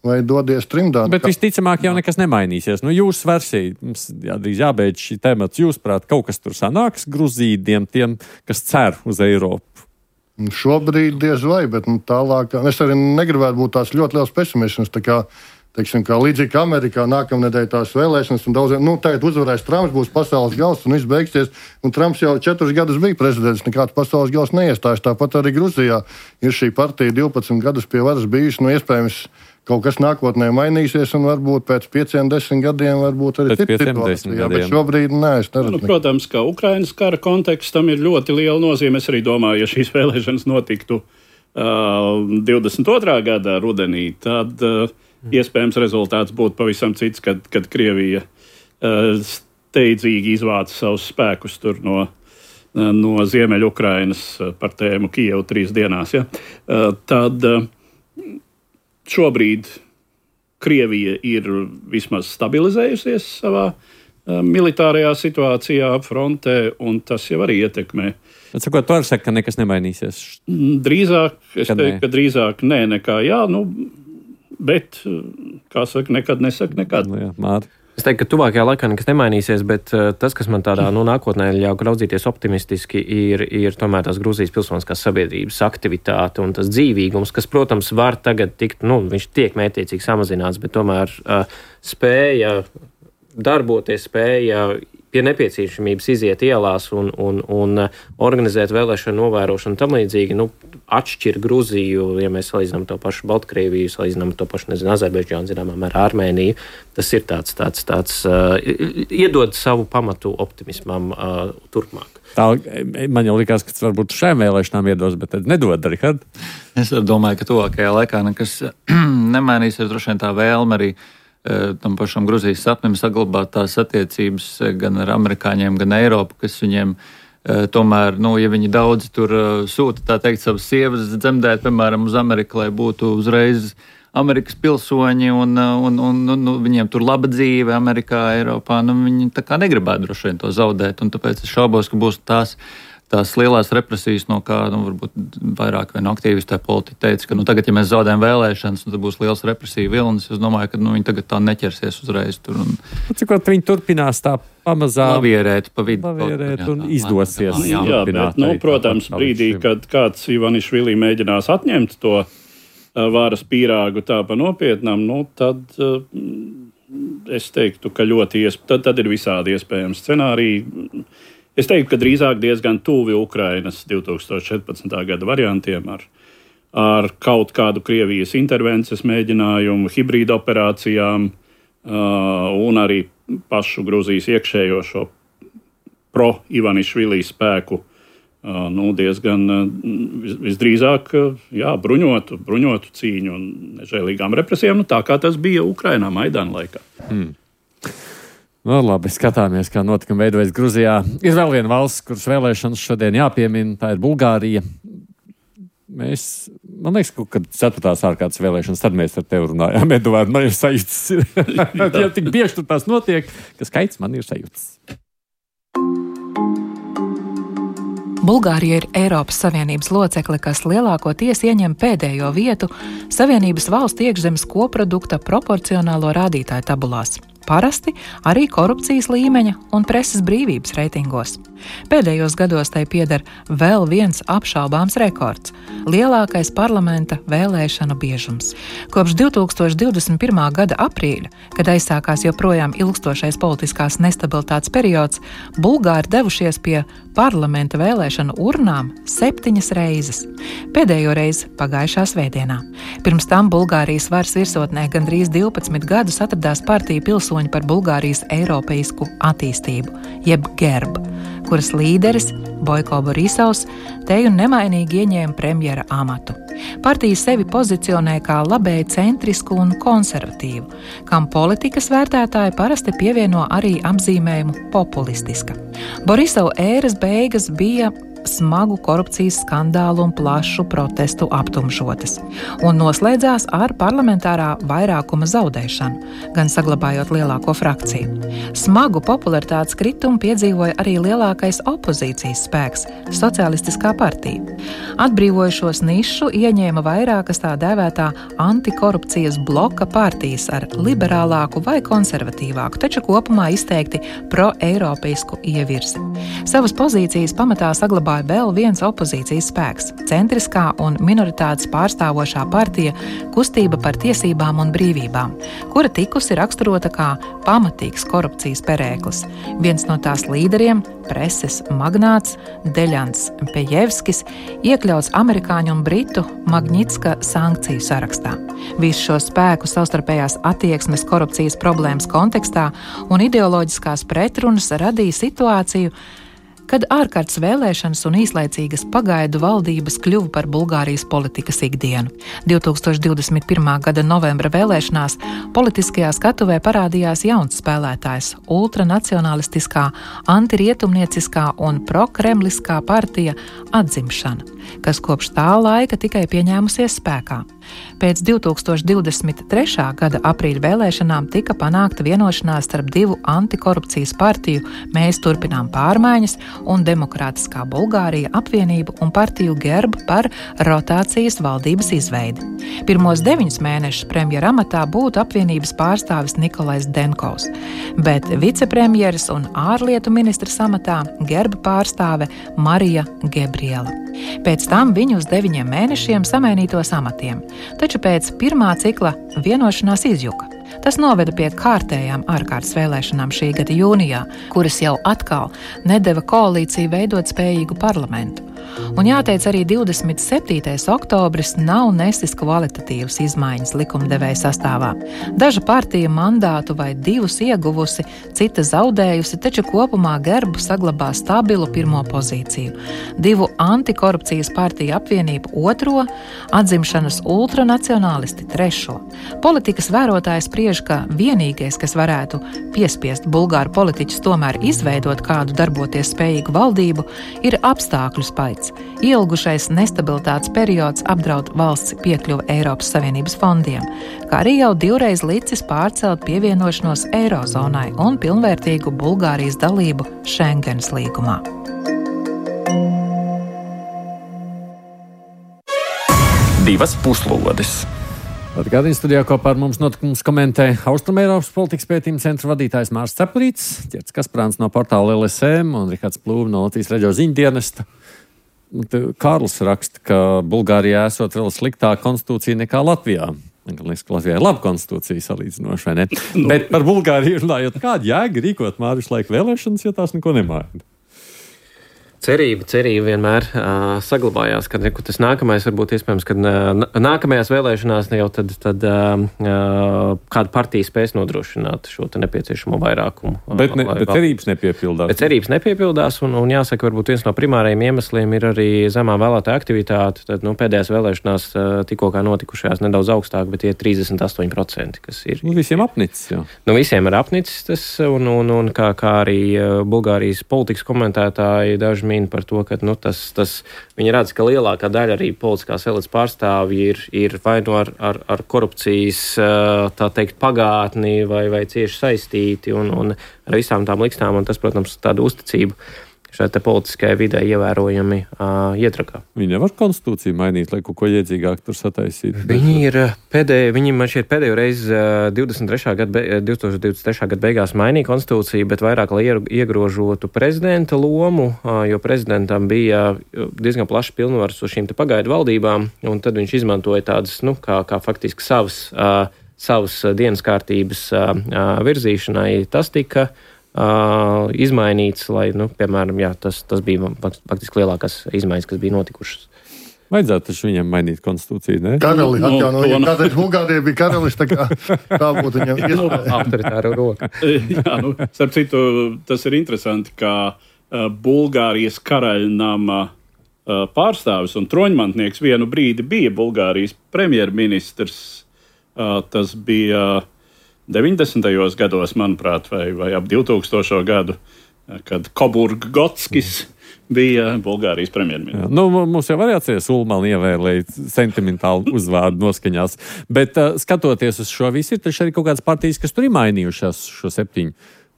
vai dodies trimdā. Bet visticamāk jau nekas nemainīsies. Nu, jūsu versija, mums jādrīz jābeidz šī temats, jūsuprāt, kaut kas tur sanāks Gruzīdiem, tiem, kas cer uz Eiropu? Šobrīd diez vai, bet nu, tālāk, es arī negribētu būt tās ļoti liels pesimisms, tā kā Teiksim, kā līdzīgi kā Amerikā nākamnedēļ tās vēlēšanas, un daudziem, nu, tagad uzvarēs Trumps, būs pasaules gals, un viss beigsies. Un Trumps jau četrus gadus bija prezidents, nekāds pasaules gals neiestājas. Tāpat arī Gruzijā ir šī partija divpadsmit gadus pie varas bijusi, nu, iespējams, kaut kas nākotnē mainīsies, un varbūt pēc pieciem, desmit gadiem varbūt arī cita situācija. Bet šobrīd nē, es neredzu. Nu, protams, ka Ukrainas kara kontekstam ir ļoti liela nozīme. Es arī domāju, ja šīs vēlēšanas notiktu uh, divdesmit otrā gada rudenī, tad uh, iespējams rezultāts būtu pavisam cits, kad, kad Krievija uh, steidzīgi izvāca savus spēkus tur no, uh, no Ziemeļukrainas par tēmu Kijevu trīs dienās. Ja? Uh, tad uh, šobrīd Krievija ir vismaz stabilizējusies savā uh, militārajā situācijā frontē, un tas jau arī ietekmē. Bet, sakot, tu arī saki, ka nekas nemainīsies? Drīzāk, es kad teiktu, ne? ka drīzāk nē nekā jā, nu, bet, kā saka, nekad nesaka nekad. Nu, jā, Māri. Es teiktu, ka tuvākajā laikā nekas nemainīsies, bet uh, tas, kas man tādā nu, nākotnē ļauj raudzīties optimistiski, ir, ir tomēr tās Gruzijas pilsoniskās sabiedrības aktivitāte un tas dzīvīgums, kas, protams, var tagad tikt, nu, viņš tiek mētiecīgi samazināts, bet tomēr uh, spēja darboties, spēja pie nepieciešamības iziet ielās un, un, un organizēt vēlēšanu novērošanu tam līdzīgi, nu, atšķir Gruziju, ja mēs salīdzinām to pašu Baltkrieviju, salīdzinām to pašu, nezinu, Azerbaidžānu, zināmā mērā Armēniju, tas ir tāds, tāds, tāds uh, iedod savu pamatu optimismam uh, turpmāk. Tā, man jau likās, ka tas varbūt šajām vēlēšanām iedos, bet tad nedod, Rihard. Es domāju, ka tuvākajā laikā nekas nemainīsies, droši vien tā vēlme arī tam pašam Gruzijas sapnim saglabāt tās attiecības gan ar amerikāņiem, gan Eiropu, kas viņiem tomēr, nu, ja viņi daudz tur sūta, tā teikt, savas sievas dzemdēt, piemēram, uz Ameriku, lai būtu uzreiz Amerikas pilsoņi un, un, un, un nu, viņiem tur laba dzīve Amerikā, Eiropā, nu, viņi tā kā negribētu droši vien to zaudēt, un tāpēc es šaubos, ka būs tās tās lielās represijas, no kā, nu, varbūt vairāk vai no aktīvisti politiķi teica, ka, nu, tagad, ja mēs zaudējam vēlēšanas, nu, tad būs liels represija vilnis. Es domāju, ka, nu, viņi tagad tā neķersies uzreiz tur. Un... Cikot viņi turpinās tā pamazām lavierēt pa vidu. Lavierēt un izdosies. Jā, jā, bet, nu, protams, brīdī, kad kāds Ivanišvili mēģinās atņemt to uh, varas pīrāgu tā pa nopietnām, nu, tad uh, es teiktu, ka ļoti iesp... tad, tad ir visādi iespējami scenāriji. Es teiktu, ka drīzāk diezgan tuvi Ukrainas divtūkstoš četrpadsmitā gada variantiem ar, ar kaut kādu Krievijas intervences mēģinājumu, hibrīda operācijām uh, un arī pašu Gruzijas iekšējo šo pro-Ivanišvili spēku nu, diezgan visdrīzāk jā, bruņotu, bruņotu cīņu un nežēlīgām represijām, nu, tā kā tas bija Ukrainā Maidana laikā. Hmm. No, labi, skatāmies, kā notikumi veidojas Gruzijā. Ir vēl viena valsts, kuras vēlēšanas šodien jāpiemina, tā ir Bulgārija. Mēs, man liekas, ka ceturtās ārkārtas vēlēšanas, tad mēs ar tevi runājām, Eduārds, man ir sajūtas. Ja tik bieži tur tās notiek, ka skaits man ir sajūtas. Bulgārija ir Eiropas Savienības locekle, kas lielākoties ieņem pēdējo vietu Savienības valstu iekšzemes koprodukta proporcionālo rādītāju tabulās. Parasti arī korupcijas līmeņa un preses brīvības reitingos. Pēdējos gados tai pieder vēl viens apšaubāms rekords – lielākais parlamenta vēlēšanu biežums. Kopš divi tūkstoši divdesmit pirmā gada aprīļa, kad aizsākās joprojām ilgstošais politiskās nestabilitātes periods, Bulgāri devušies pie parlamenta vēlēšanu urnām septiņas reizes. Pēdējo reizi pagājušā svētdienā. Pirms tam Bulgārijas varas virsotnē gandrīz divpadsmit gadus atradās partija Pilsoņi par Bulgārijas eiropeisku attīstību, jeb GERB, kuras līderis Boiko Borisovs teju nemainīgi ieņēma premjera amatu. Partija sevi pozicionē kā labēji centrisku un konservatīvu, kam politikas vērtētāji parasti pievieno arī apzīmējumu populistiska. Borisova ēras beigas bija smagu korupcijas skandālu un plašu protestu aptumšotas, un noslēdzās ar parlamentārā vairākuma zaudēšanu, gan saglabājot lielāko frakciju. Smagu popularitātes kritumu piedzīvoja arī lielākais opozīcijas spēks – Socialistiskā partija. Atbrīvojušos nišu ieņēma vairākas tā dēvētā antikorupcijas bloka partijas ar liberālāku vai konservatīvāku, taču kopumā izteikti pro-eiropeisku ievirzi. Savas pozīcijas pamatā saglabāja vēl viens opozīcijas spēks – centriskā un minoritātes pārstāvošā partija Kustība par tiesībām un brīvībām, kura tikusi raksturota kā pamatīgs korupcijas perēklis. Viens no tās līderiem, preses magnāts Deļans Pejevskis, iekļauts amerikāņu un britu Magnitska sankciju sarakstā. Visu šo spēku savstarpējās attieksmes korupcijas problēmas kontekstā un ideoloģiskās pretrunas radīja situāciju, kad ārkārtas vēlēšanas un īslaicīgas pagaidu valdības kļuva par Bulgārijas politikas ikdienu. divi tūkstoši divdesmit pirmā gada novembra vēlēšanās politiskajā skatuvē parādījās jauns spēlētājs – ultranacionalistiskā, antirietumnieciskā un prokremliskā partija Atzimšana, kas kopš tā laika tikai pieņēmusies spēkā. Pēc divi tūkstoši divdesmit trešā gada aprīļa vēlēšanām tika panākta vienošanās starp divu antikorupcijas partiju Mēs turpinām pārmaiņas un Demokrātiskā Bulgārija apvienību un partiju GERB par rotācijas valdības izveidi. Pirmos deviņus mēnešus premjera amatā būtu apvienības pārstāvis Nikolais Denkovs, bet vicepremjeras un ārlietu ministras amatā GERB pārstāve Marija Gebriela. Pēc tam viņu uz deviņiem mēnešiem samainītos amatiem, taču pēc pirmā cikla vienošanās izjuka. Tas noveda pie kārtējām ārkārtas vēlēšanām šī gada jūnijā, kuras jau atkal nedeva koalīciju veidot spējīgu parlamentu. Un jāteic, arī divdesmit septītais oktobris nav nesis kvalitatīvas izmaiņas likumdevēja sastāvā. Daža partija mandātu vai divus ieguvusi, cita zaudējusi, taču kopumā GERB saglabā stabilu pirmo pozīciju. Divu antikorupcijas partiju apvienību otro, Atzimšanas ultranacionālisti trešo. Politikas vērotājs spriež, ka vienīgais, kas varētu piespiest bulgāru politiķus tomēr izveidot kādu darboties spējīgu valdību, ir apstākļu spaids. Ielgušais nestabilitātes periods apdraud valsts piekļuvi Eiropas Savienības fondiem, kā arī jau divreiz licis pārcelt pievienošanos Eirozonai un pilnvērtīgu Bulgārijas dalību Schengenas līgumā. Divas puslodes. Atgādījums studijā kopā ar mums notikumus komentē Austrumeiropas politikas pētījuma centra vadītājs Mārs Cepurīts, Ķerts Kasprāns no portāla L S M un Rihards Plūme no Latvijas radio ziņdienesta. Kārlis raksta, ka Bulgārijā esot vēl sliktāka konstitūcija nekā Latvijā. Man liekas, ka Latvijā ir laba konstitūcija salīdzinoši, vai ne? No. Bet par Bulgāriju runājot, kāda jēga rīkot Māris laika vēlēšanas, ja tās neko nemaina? Cerība, cerība vienmēr uh, saglabājās, ka reku, tas nākamais varbūt iespējams, ka uh, nākamajās vēlēšanās ne jau tad, tad uh, kāda partija spēs nodrošināt šo te nepieciešamo vairākumu. Bet, ne, bet cerības nepiepildās. Bet cerības nepiepildās, un, un jāsaka, varbūt viens no primārajiem iemesliem ir arī zemā vēlētāja aktivitāte. Tad, nu, pēdējās vēlēšanās uh, tikko kā notikušajās nedaudz augstāk, bet tie trīsdesmit astoņi procenti, kas ir. Nu, visiem apnicis, jā. Nu, visiem ir apnicis tas, un, un, un kā, kā arī uh, Bulgārijas politikas komentētāji daži min par to, ka nu, tas, tas, viņi redz, ka lielākā daļa arī politiskās elites pārstāvji ir, ir vai no ar, ar, ar korupcijas, tā teikt, pagātni vai, vai cieši saistīti un, un ar visām tām likstām, un tas, protams, tādu uzticību šai te politiskajai vidē ievērojami uh, iedragā. Viņi nevar konstitūciju mainīt, lai kaut ko iedzīgāk tur sataisītu. Viņi ir pēdējo, viņi man šķiet pēdējo reizi uh, divdesmit trešā gada, divtūkstoš divdesmit trešā gada beigās mainīja konstitūciju, bet vairāk, lai iegrožotu prezidenta lomu, uh, jo prezidentam bija diezgan plašs pilnvars uz šīm te pagaidu valdībām, un tad viņš izmantoja tādas, nu, kā, kā faktiski savas, uh, savas dienas kārtības uh, virzīšanai. Tas tika Uh, izmainīts, lai, nu, piemēram, jā, tas, tas bija faktiski lielākās izmaiņas, kas bija notikušas. Vajadzētu taču viņam mainīt konstitūciju, ne? Karali, atjaunoja, no, kādreiz Bulgārija bija karalis, tā kā tā būtu viņam iespēja. Autoritāra roka. Jā, nu, starp citu, tas ir interesanti, ka uh, Bulgārijas karaļnama uh, pārstāvis un troņmantnieks vienu brīdi bija Bulgārijas premjerministrs. Uh, tas bija uh, deviņdesmitajos gados, manuprāt, vai, vai ap divtūkstošo gadu, kad Koburg-Gotskis bija Bulgārijas premjerministrs. Nu, mums jau var jāatceries, Ulmani ievēlēja sentimentālu uzvārdu noskaņās, bet uh, skatoties uz šo visu, ir taču arī kaut kādas partijas, kas tur ir mainījušās šo septiņu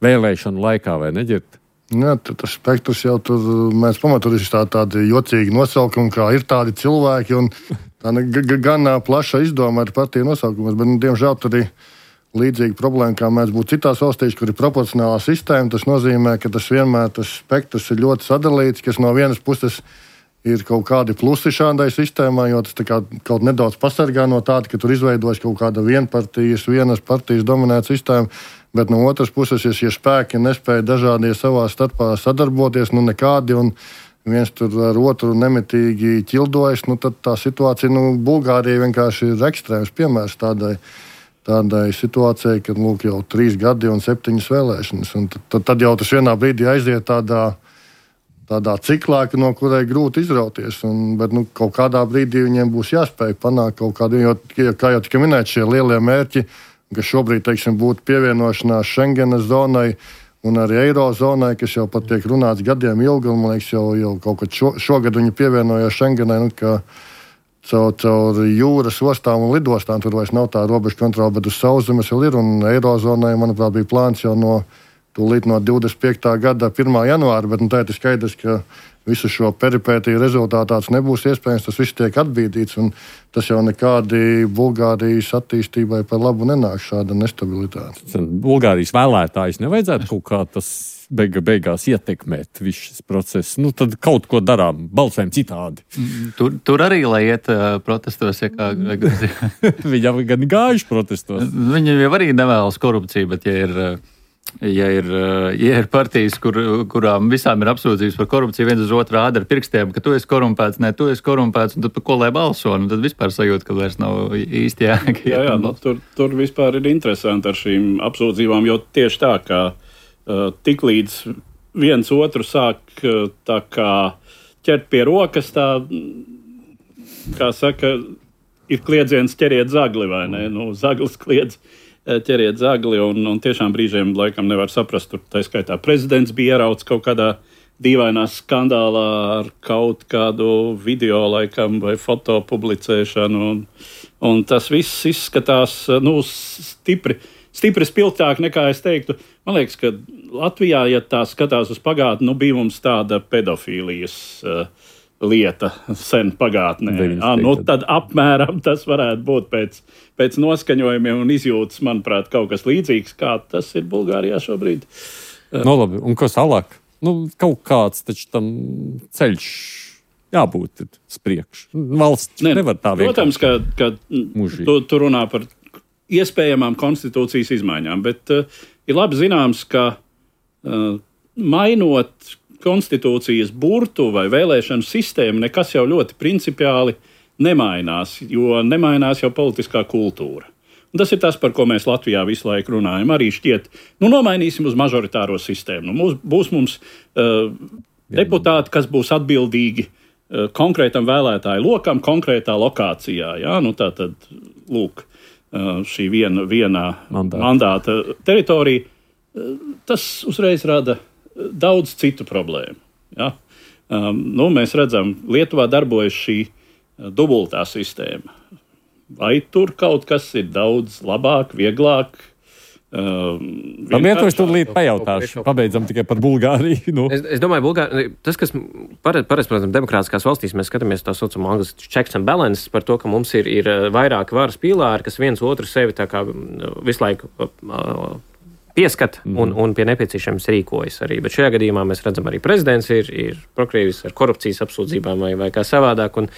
vēlēšanu laikā, vai neģirt? Jā, tas spektrs jau tur, mēs pamaturīsim tā, tādi jocīgi nosaukumi, kā ir tādi cilvēki, un tā gan plaša izdoma ar partiju nosaukumus, bet, nu, diemžēl tur arī līdzīga problēma, kā mēs būtu citās valstīs, kur ir proporcionālā sistēma. Tas nozīmē, ka tas vienmēr tas spektrs ir ļoti sadalīts, kas no vienas puses ir kaut kādi plusi šādai sistēmai, jo tas kā, kaut nedaudz pasargā no tāda, ka tur izveidojas kaut kāda vienpartijas, vienas partijas dominēta sistēma, bet no otras puses, ja šie spēki nespēja dažādie savā starpā sadarboties, nu nekādi, un viens tur ar otru nemitīgi ķildojas, nu tad tā situācija, nu, Bulgārija vienkārši ir ekstrēms piemērs tādai tādai situācijai, kad lūk, jau trīs gadi un septiņas vēlēšanas. Un tad, tad jau tas vienā brīdī aiziet tādā, tādā ciklā, no kurai grūti izrauties. Un, bet nu, kaut kādā brīdī viņiem būs jāspēj panākt kaut kādu, jo, kā jau tika minēt, šie lielie mērķi, kas šobrīd, teiksim, būtu pievienošanās Schengenas zonai un arī Eirozonai, kas jau pat tiek runāts gadiem ilgi, un man liekas, jau, jau kaut kad šo, šogad viņi pievienojās Schengenai, nu, ka Caur, caur jūras ostām un lidostām tur vairs nav tā robežu kontrola, bet uz sauszemes vēl ir. Un Eirozonai, manuprāt, bija plāns jau no, tūlīt no divdesmit piektā gada pirmā janvāra, bet nu, tā ir skaidrs, ka visu šo peripētiju rezultātā tas nebūs iespējams, tas viss tiek atbīdīts, un tas jau nekādi Bulgārijas attīstībai par labu nenāk šāda nestabilitāte. Bulgārijas vēlētājs nevajadzētu kaut kā tas beiga, beigās ietekmēt visu šis process. Nu, tad kaut ko darām, balsēm citādi. Tur, tur arī, lai iet uh, protestos, ja kā Gruzija. Viņi jau gan gājuši protestos. Viņi jau arī nevēlas korupciju, bet ja ir, ja ir, ja ir partijas, kur, kurām visām ir apsūdzības par korupciju, viens uz otru rāda ar pirkstiem, ka tu esi korumpēts, ne, tu esi korumpēts, un tad par ko lai balso, un tad vispār sajūt, ka vairs nav īsti jēga. Jā, jā, nu, tur, tur vispār ir interesanti ar šīm apsūdzībām, jo tieši tā, ka Uh, tik līdz viens otru sāk uh, tā kā ķert pie rokas, tā, kā saka, ir kliedziens ķeriet zagli, vai ne? Nu, zaglis kliedz, ķeriet zagli, un, un tiešām brīžiem laikam nevar saprast, tur tā skaitā prezidents bija ierauts kaut kādā dīvainā skandālā ar kaut kādu video laikam vai foto publicēšanu, un, un tas viss izskatās, nu, stipri. Stipri spilgtāk nekā es teiktu. Man liekas, ka Latvijā, ja tā skatās uz pagātni, nu bija mums tāda pedofīlijas uh, lieta sen pagātnē. À, nu, tad apmēram tas varētu būt pēc, pēc noskaņojumiem un izjūtas, manuprāt, kaut kas līdzīgs, kā tas ir Bulgārijā šobrīd. Uh. No labi, un kas tālāk? Nu, kaut kāds taču tam ceļš jābūt spriekš. Valsts ne, nevar tā vienkārši. Protams, ka, ka tu, tu runā par iespējamām konstitūcijas izmaiņām, bet uh, ir labi zināms, ka uh, mainot konstitūcijas burtu vai vēlēšanu sistēmu nekas jau ļoti principiāli nemainās, jo nemainās jau politiskā kultūra. Un tas ir tas, par ko mēs Latvijā visu laiku runājam. Arī šķiet, nu nomainīsim uz mažoritāro sistēmu. Nu, mūs, būs mums uh, deputāti, kas būs atbildīgi uh, konkrētam vēlētāju lokam, konkrētā lokācijā. Jā? Nu, tā tad, lūk, uh, šī viena, vienā mandāta, mandāta teritorija. Uh, tas uzreiz rada daudz citu problēmu. Ja? Um, nu, mēs redzam, Lietuvā darbojas šī uh, dubultā sistēma. Vai tur kaut kas ir daudz labāk, vieglāk? Um, Lietuva es tūlīt pajautāšu. Pabeidzam tikai par Bulgāriju. Nu. Es, es domāju, Bulgārija, tas, kas parasti, protams, demokrātiskās valstīs, mēs skatāmies tā saucamo angliski checks and balances par to, ka mums ir, ir vairāki varas pīlāri, kas viens otru sevi tā kā visu laiku uh, pieskat un, un pie nepieciešams rīkojas arī. Bet šajā gadījumā mēs redzam, arī prezidents ir, ir prokrievis ar korupcijas apsūdzībām vai, vai kā savādāk. Un,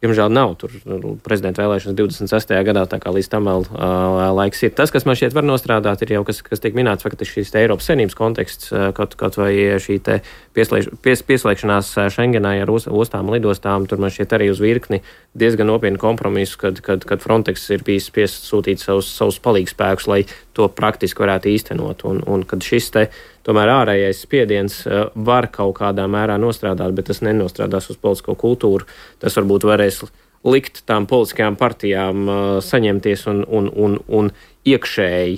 Diemžēl nav tur prezidenta vēlēšanas divdesmit sestajā gadā, tā kā līdz tam vēl uh, laiks ir. Tas, kas man šķiet var nostrādāt, ir jau, kas, kas tiek minēts, faktiski šīs Eiropas Savienības konteksts, kaut, kaut vai šī te pieslēgš, pies, pieslēgšanās Schengenai ar ostām, lidostām, tur man šķiet arī uz virkni diezgan nopietnu kompromisu, kad, kad, kad Frontex ir bijis spiests sūtīt savus, savus palīgspēkus, lai to praktiski varētu īstenot. Un, un kad šis te tomēr ārējais spiediens var kaut kādā mērā nostrādāt, bet tas nenostrādās uz politisko kultūru. Tas varbūt varēs likt tām politiskajām partijām saņemties un, un, un, un iekšēji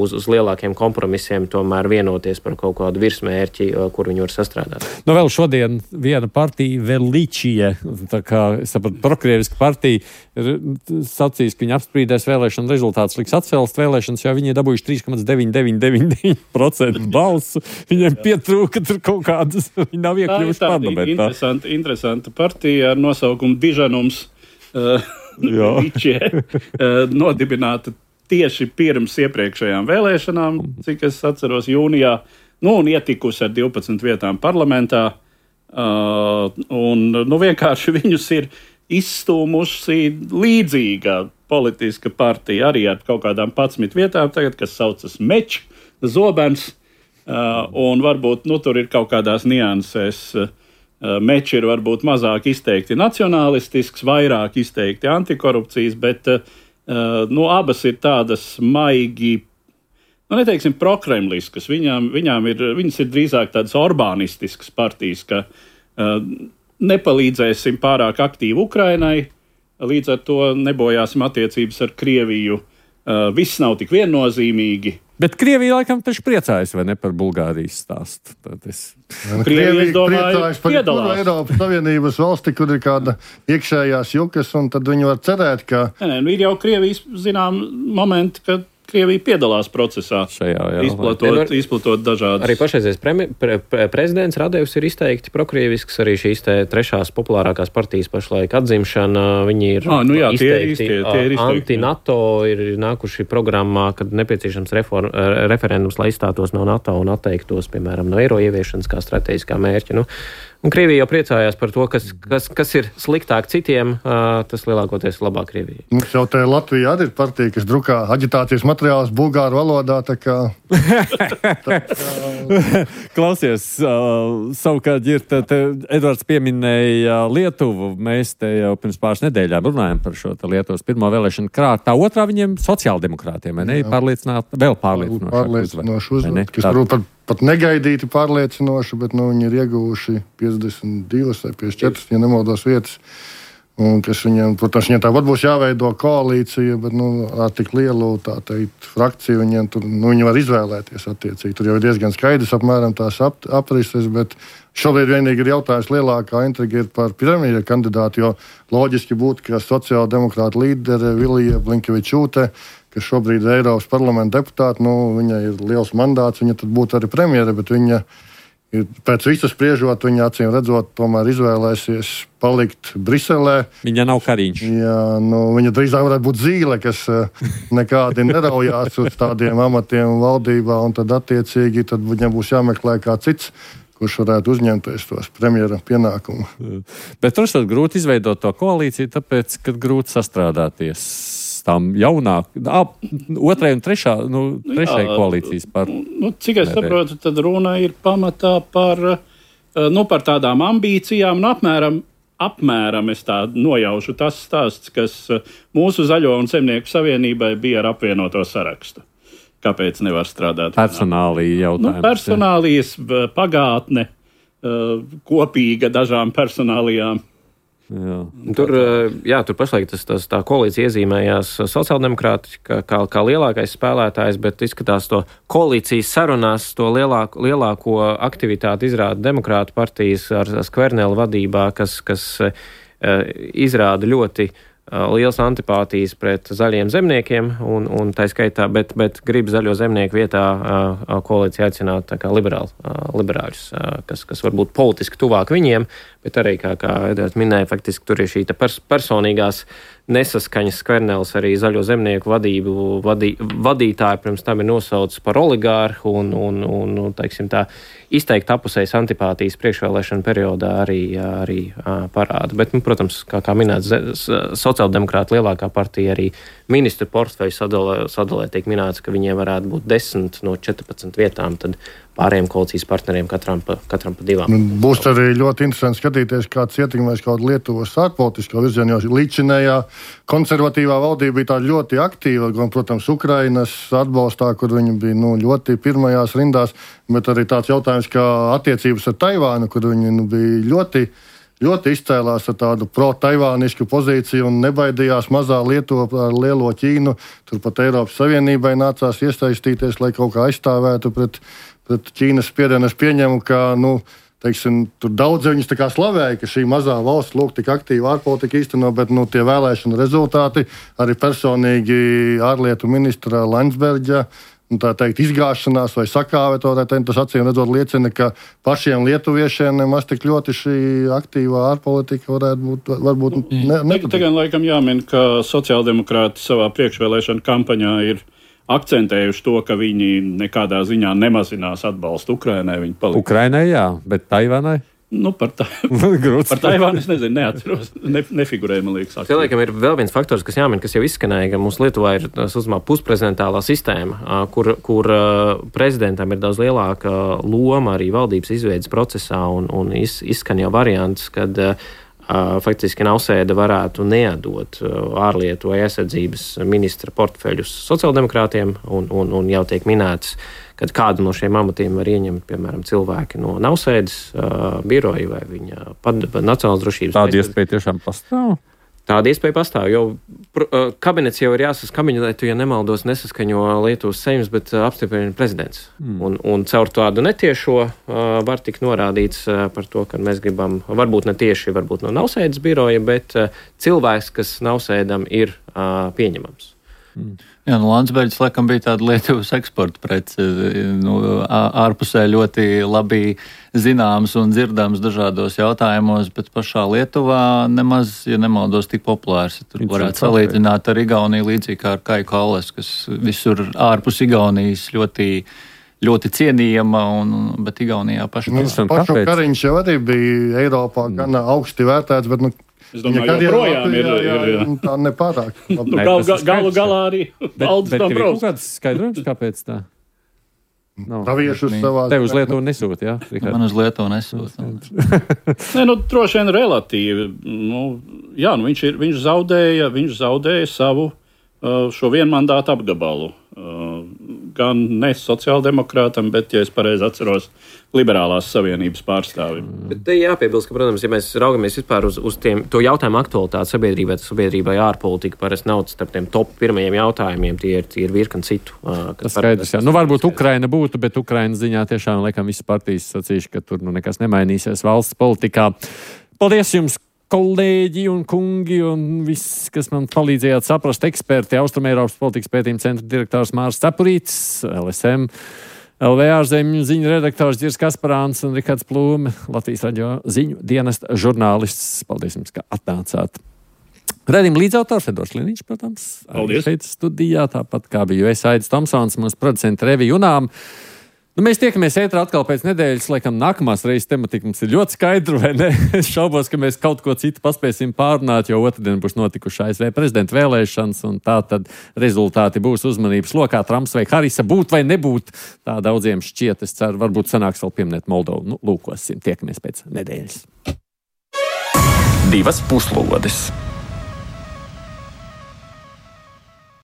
uz, uz lielākiem kompromisiem tomēr vienoties par kaut kādu virsmērķi, kur viņi var sastrādāt. Nu vēl šodien viena partija, Velīčija, tā kā es sapratu, prokrieviska partija, ir sacījis, ka viņi apsprīdēs vēlēšanu rezultātus, liks atcelst vēlēšanas, jo viņi ir dabūjuši trīs komats deviņi deviņi deviņi deviņi procenti balsu. Viņiem pietrūka tur kaut kādas, viņi nav iekļuvuši parlamentā. Tā ir interesanta, interesanta partija ar nosaukumu Dižanums uh, Velīčie, uh, nodibināta tieši pirms iepriekšējām vēlēšanām, cik es atceros, jūnijā, nu, un ietikusi ar divpadsmit vietām parlamentā. Uh, un, nu, vienkārši viņus ir izstūmusi līdzīga politiska partija, arī ar kaut kādām padsmit vietām, tagad, kas saucas Mečs, Zobens, uh, un varbūt, nu, tur ir kaut kādās niansēs. Uh, Mečs ir varbūt mazāk izteikti nacionālistisks, vairāk izteikti antikorupcijas, bet uh, Uh, nu, abas ir tādas maigi, nu, neteiksim, prokremliskas. Viņām, viņām ir, viņas ir drīzāk tādas orbānistiskas partijas, ka uh, nepalīdzēsim pārāk aktīvi Ukrainai, līdz ar to nebojāsim attiecības ar Krieviju. Uh, viss nav tik viennozīmīgi. Bet Krievija laikam taču priecājas, vai ne, par Bulgārijas stāstu? Es... Krievija priecājas par jebkuru Eiropas Savienības valsti, kur ir kāda iekšējās jukas, un tad viņi var cerēt, ka... Nē, nē, ir jau Krievijas, zinām, momenti, kad Krievija piedalās procesā, šajā, jā, izplatot, izplatot dažādas. Arī pašreizies pre, pre, pre, prezidents Radevs ir izteikti prokrievisks, arī šīs te trešās populārākās partijas pašlaik atzimšana, viņi ir ah, nu jā, izteikti, tie ir izteikti, tie ir izteikti anti-NATO, ir nākuši programmā, kad nepieciešams reform, referendums, lai izstātos no NATO un atteiktos, piemēram, no eiro ieviešanas kā strateģiskā mērķa. Nu, un Krievija jau priecājās par to, kas, kas, kas ir sliktāk citiem, tas lielākoties labāk Krievijai. Mums jau te Latvijā arī ir partija, kas drukā aģitācijas materiālus bulgāru valodā, tā kā... tā kā... Klausies, uh, savukārt ir, te, te Edvards pieminēja Lietuvu, mēs te jau pirms pāris nedēļām runājam par šo te Lietuvas pirmo vēlēšanu krāt, tā otrā viņiem sociāldemokrātiem, vai ne? Pārliecināt, vēl pārliecinošāk pārliecinoši uzvar, kas varbūt pat, pat negaidīti pārliecinoši, bet nu, viņi ir ieguvuši piecdesmit divas vai piecdesmit četras, ja nemaldos vietas. Un kas viņiem, protams, viņiem tāpat būs jāveido koalīcija, bet nu, ar tik lielu tā teikt, frakciju viņiem tur, nu, viņi var izvēlēties attiecīgi. Tur jau ir diezgan skaidrs apmēram tās ap, aprises, bet šobrīd vienīgi ir jautājums lielākā intriga ir par premjera kandidātu, jo loģiski būtu, ka sociāldemokrāta līdere Vilija Blinkevičūte, kas šobrīd ir Eiropas parlamenta deputāta, nu, viņai ir liels mandāts, viņa tad būtu arī premjera, bet viņa ir, pēc visu spriežot, viņa acīm redzot, tomēr izvēlēsies palikt Briselē. Viņa nav Kariņš. Jā, nu, viņa drīzāk varētu būt Zīle, kas nekādi neraujās uz tādiem amatiem valdībā, un tad attiecīgi tad viņam būs jāmeklē kā cits, kurš varētu uzņemties tos premjera pienākumu. Bet tur ir grūti izveidot to koalīciju, tāpēc, kad grūti sastrādāties tām jaunāk, ap, otrai un trešā, nu, trešai jā, koalīcijas par... Nu, cik es saprotu, tad runa ir pamatā par nu, par tādām ambīcijām, un apmēram, apmēram es tā nojaušu tas stāsts, kas mūsu Zaļo un Zemnieku savienībai bija ar apvienoto sarakstu. Kāpēc nevar strādāt? Personālija jautājums. Nu, personālijas, pagātne, kopīga dažām personālijām. Jā. Tur, jā, tur pašlaik tas, tas, tā koalīcija iezīmējās sociāldemokrāti kā, kā, kā lielākais spēlētājs, bet izskatās to koalīcijas sarunās, to lielāko, lielāko aktivitāti izrāda demokrātu partijas ar Skvernela vadībā, kas, kas izrāda ļoti liels antipātijas pret zaļiem zemniekiem, un, un tā skaitā, bet, bet grib zaļo zemnieku vietā uh, koalīcija aicināt tā kā liberāli, uh, liberāļus, uh, kas, kas varbūt politiski tuvāk viņiem, bet arī, kā, kā Edvards minēja, faktiski tur ir šī pers personīgās nesaskaņas. Skvernels arī zaļo zemnieku vadību vadī, vadītāju pirms tam ir nosaucis par oligārhu un, un, un, un teiksim tā, izteikt apusējas antipātijas priekšvēlēšana periodā arī, arī uh, parāda. Bet, nu, protams, kā, kā minēts, sociāldemokrāta lielākā partija arī ministru portfeļu sadalē, sadalē tiek minēts, ka viņiem varētu būt desmit no četrpadsmit vietām, tad pārējiem koalīcijas partneriem katram pa, katram pa divām. Būs arī ļoti interesanti skatīties, kāds ietekmēs kaut Lietuvas ārpolitisko virzienu, jo līdzinējā konservatīvā valdība bija tā ļoti aktīva, gan, protams, Ukrainas atbalstā, kur viņi bija nu, ļoti pirmajās rindās, bet arī tāds jautājums, kā attiecības ar Taivānu, kur viņi nu, bija ļoti ļoti izcēlās ar tādu pro-taivānisku pozīciju un nebaidījās mazā Lietuva ar lielo Ķīnu. Turpat Eiropas Savienībai nācās iesaistīties, lai kaut kā aizstāvētu pret, pret Ķīnas spiedienu. Es pieņemu, ka, nu, teiksim, tur daudz viņus tā kā slavēja, ka šī mazā valsts lūk tik aktīvi ārpolitika īsteno, bet, nu, tie vēlēšanu rezultāti arī personīgi ārlietu ministra Landsberģa, tā teikt, izgāšanās vai sakāve, to, tas acīm redzot liecina, ka pašiem lietuviešiem nemaz tik ļoti šī aktīvā ārpolitika varētu būt, varbūt ne, nepatīk. Tagad laikam jāmin, ka sociāldemokrāti savā priekšvēlēšana kampaņā ir akcentējuši to, ka viņi nekādā ziņā nemazinās atbalstu Ukrainai. Ukrainai, jā, bet Taivānai? Nu, par, tā, par Taivānu es nezinu, neatceros, ne, nefigurēju, man liekas. Tie, laikam, ir vēl viens faktors, kas jāmin, kas jau izskanēja, ka mums Lietuvā ir uzmā pusprezidentālā sistēma, kur, kur prezidentam ir daudz lielāka loma arī valdības izveidas procesā, un, un iz, izskan jau variants, kad faktiski Nausēda varētu neatdot ārlietu vai aizsardzības ministra portfeļus sociāldemokrātiem, un, un, un jau tiek minēts, kad kādu no šiem amatiem var ieņemt, piemēram, cilvēki no Nausēdas uh, biroja vai viņa pad, nacionālās drošības. Tāda iespēja tiešām pastāv? Tāda iespēja pastāv, jo uh, kabinets jau ir jāsas, kabinetu, ja nemaldos, nesaskaņo Lietuvas Seims, bet uh, apstiprina prezidents. Mm. Un, un caur tādu netiešo uh, var tik norādīts uh, par to, ka mēs gribam, varbūt ne tieši, varbūt no Nausēdas biroja, bet uh, cilvēks, kas Nausēdam ir uh, pieņemams. Mm. Jā, nu Landsbergis laikam bija tāda Lietuvas eksporta prece, nu, ārpusē ļoti labi zināms un dzirdams dažādos jautājumos, bet pašā Lietuvā nemaz, ja nemaldos, tik populārs. Tur varētu salīdzināt ar Igauniju līdzīgi kā ar Kaju Kalles, kas visur ārpus Igaunijas ļoti ļoti cienījama, un, bet Igaunijā paša. Nu, pašu Kariņš jau arī bija Eiropā mm. gan augsti vērtēts, bet, nu, es domāju, ka joprojām ir, ir, ir, ir. Tā nepārāk. Nu, gal, gal, galu galā arī Aldis Dombrovskis. Bet tev ir kāds skaidrojums, kāpēc tā? No. Taviešus savā... Tev uz Lietuvu nesūta, jā? Rikārd? Man uz Lietuvu nesūta. Nē, nu, droši vien relatīvi. Nu, jā, nu, viņš, ir, viņš, zaudēja, viņš zaudēja savu uh, šo vienmandātu apgabalu. Uh, gan ne sociāldemokrātam, bet, ja es pareizi atceros, liberālās savienības pārstāvim. Bet te jāpiebilst, ka, protams, ja mēs raugamies vispār uz, uz tiem, to jautājumu aktualitāti sabiedrībai, tad sabiedrībai ārpolitika parasti nav starp tiem top pirmajiem jautājumiem, tie ir, tie ir virkni citu. Uh, Tas skaidrs, jā. Nu, varbūt Ukraina būtu, bet Ukrainas ziņā tiešām, laikam, visas partijas sacīšu, ka tur nu, nekas nemainīsies valsts politikā. Paldies jums! Kolēģi un kungi un viss, kas man palīdzējāt saprast, eksperti, Austrumēropas politikas pētījuma centra direktors Mārs Cepurītis, L S M, L V ārzemju ziņu redaktors Ģirs Kasparāns un Rikards Plūme, Latvijas radio ziņu dienesta žurnālists. Paldies jums, ka atnācāt. Redījuma līdzautors Edvards Liniņš, protams, arī šeit studijā, tāpat kā bija es Aidis Tomsons, mūsu producenta Revi Junām. Nu, mēs tiekamies ētrā atkal pēc nedēļas, laikam nākamās reizes tematika mums ir ļoti skaidra, vai ne? Es šaubos, ka mēs kaut ko citu paspēsim pārunāt, jo otrdien būs notikuši A S V prezidenta vēlēšanas, un tā tad rezultāti būs uzmanības lokā. Trumps vai Harisa būt vai nebūt, tā daudziem šķiet. Es ceru, varbūt sanāks vēl pieminēt Moldovu. Nu, lūkosim, tiekamies pēc nedēļas. Divas puslodes.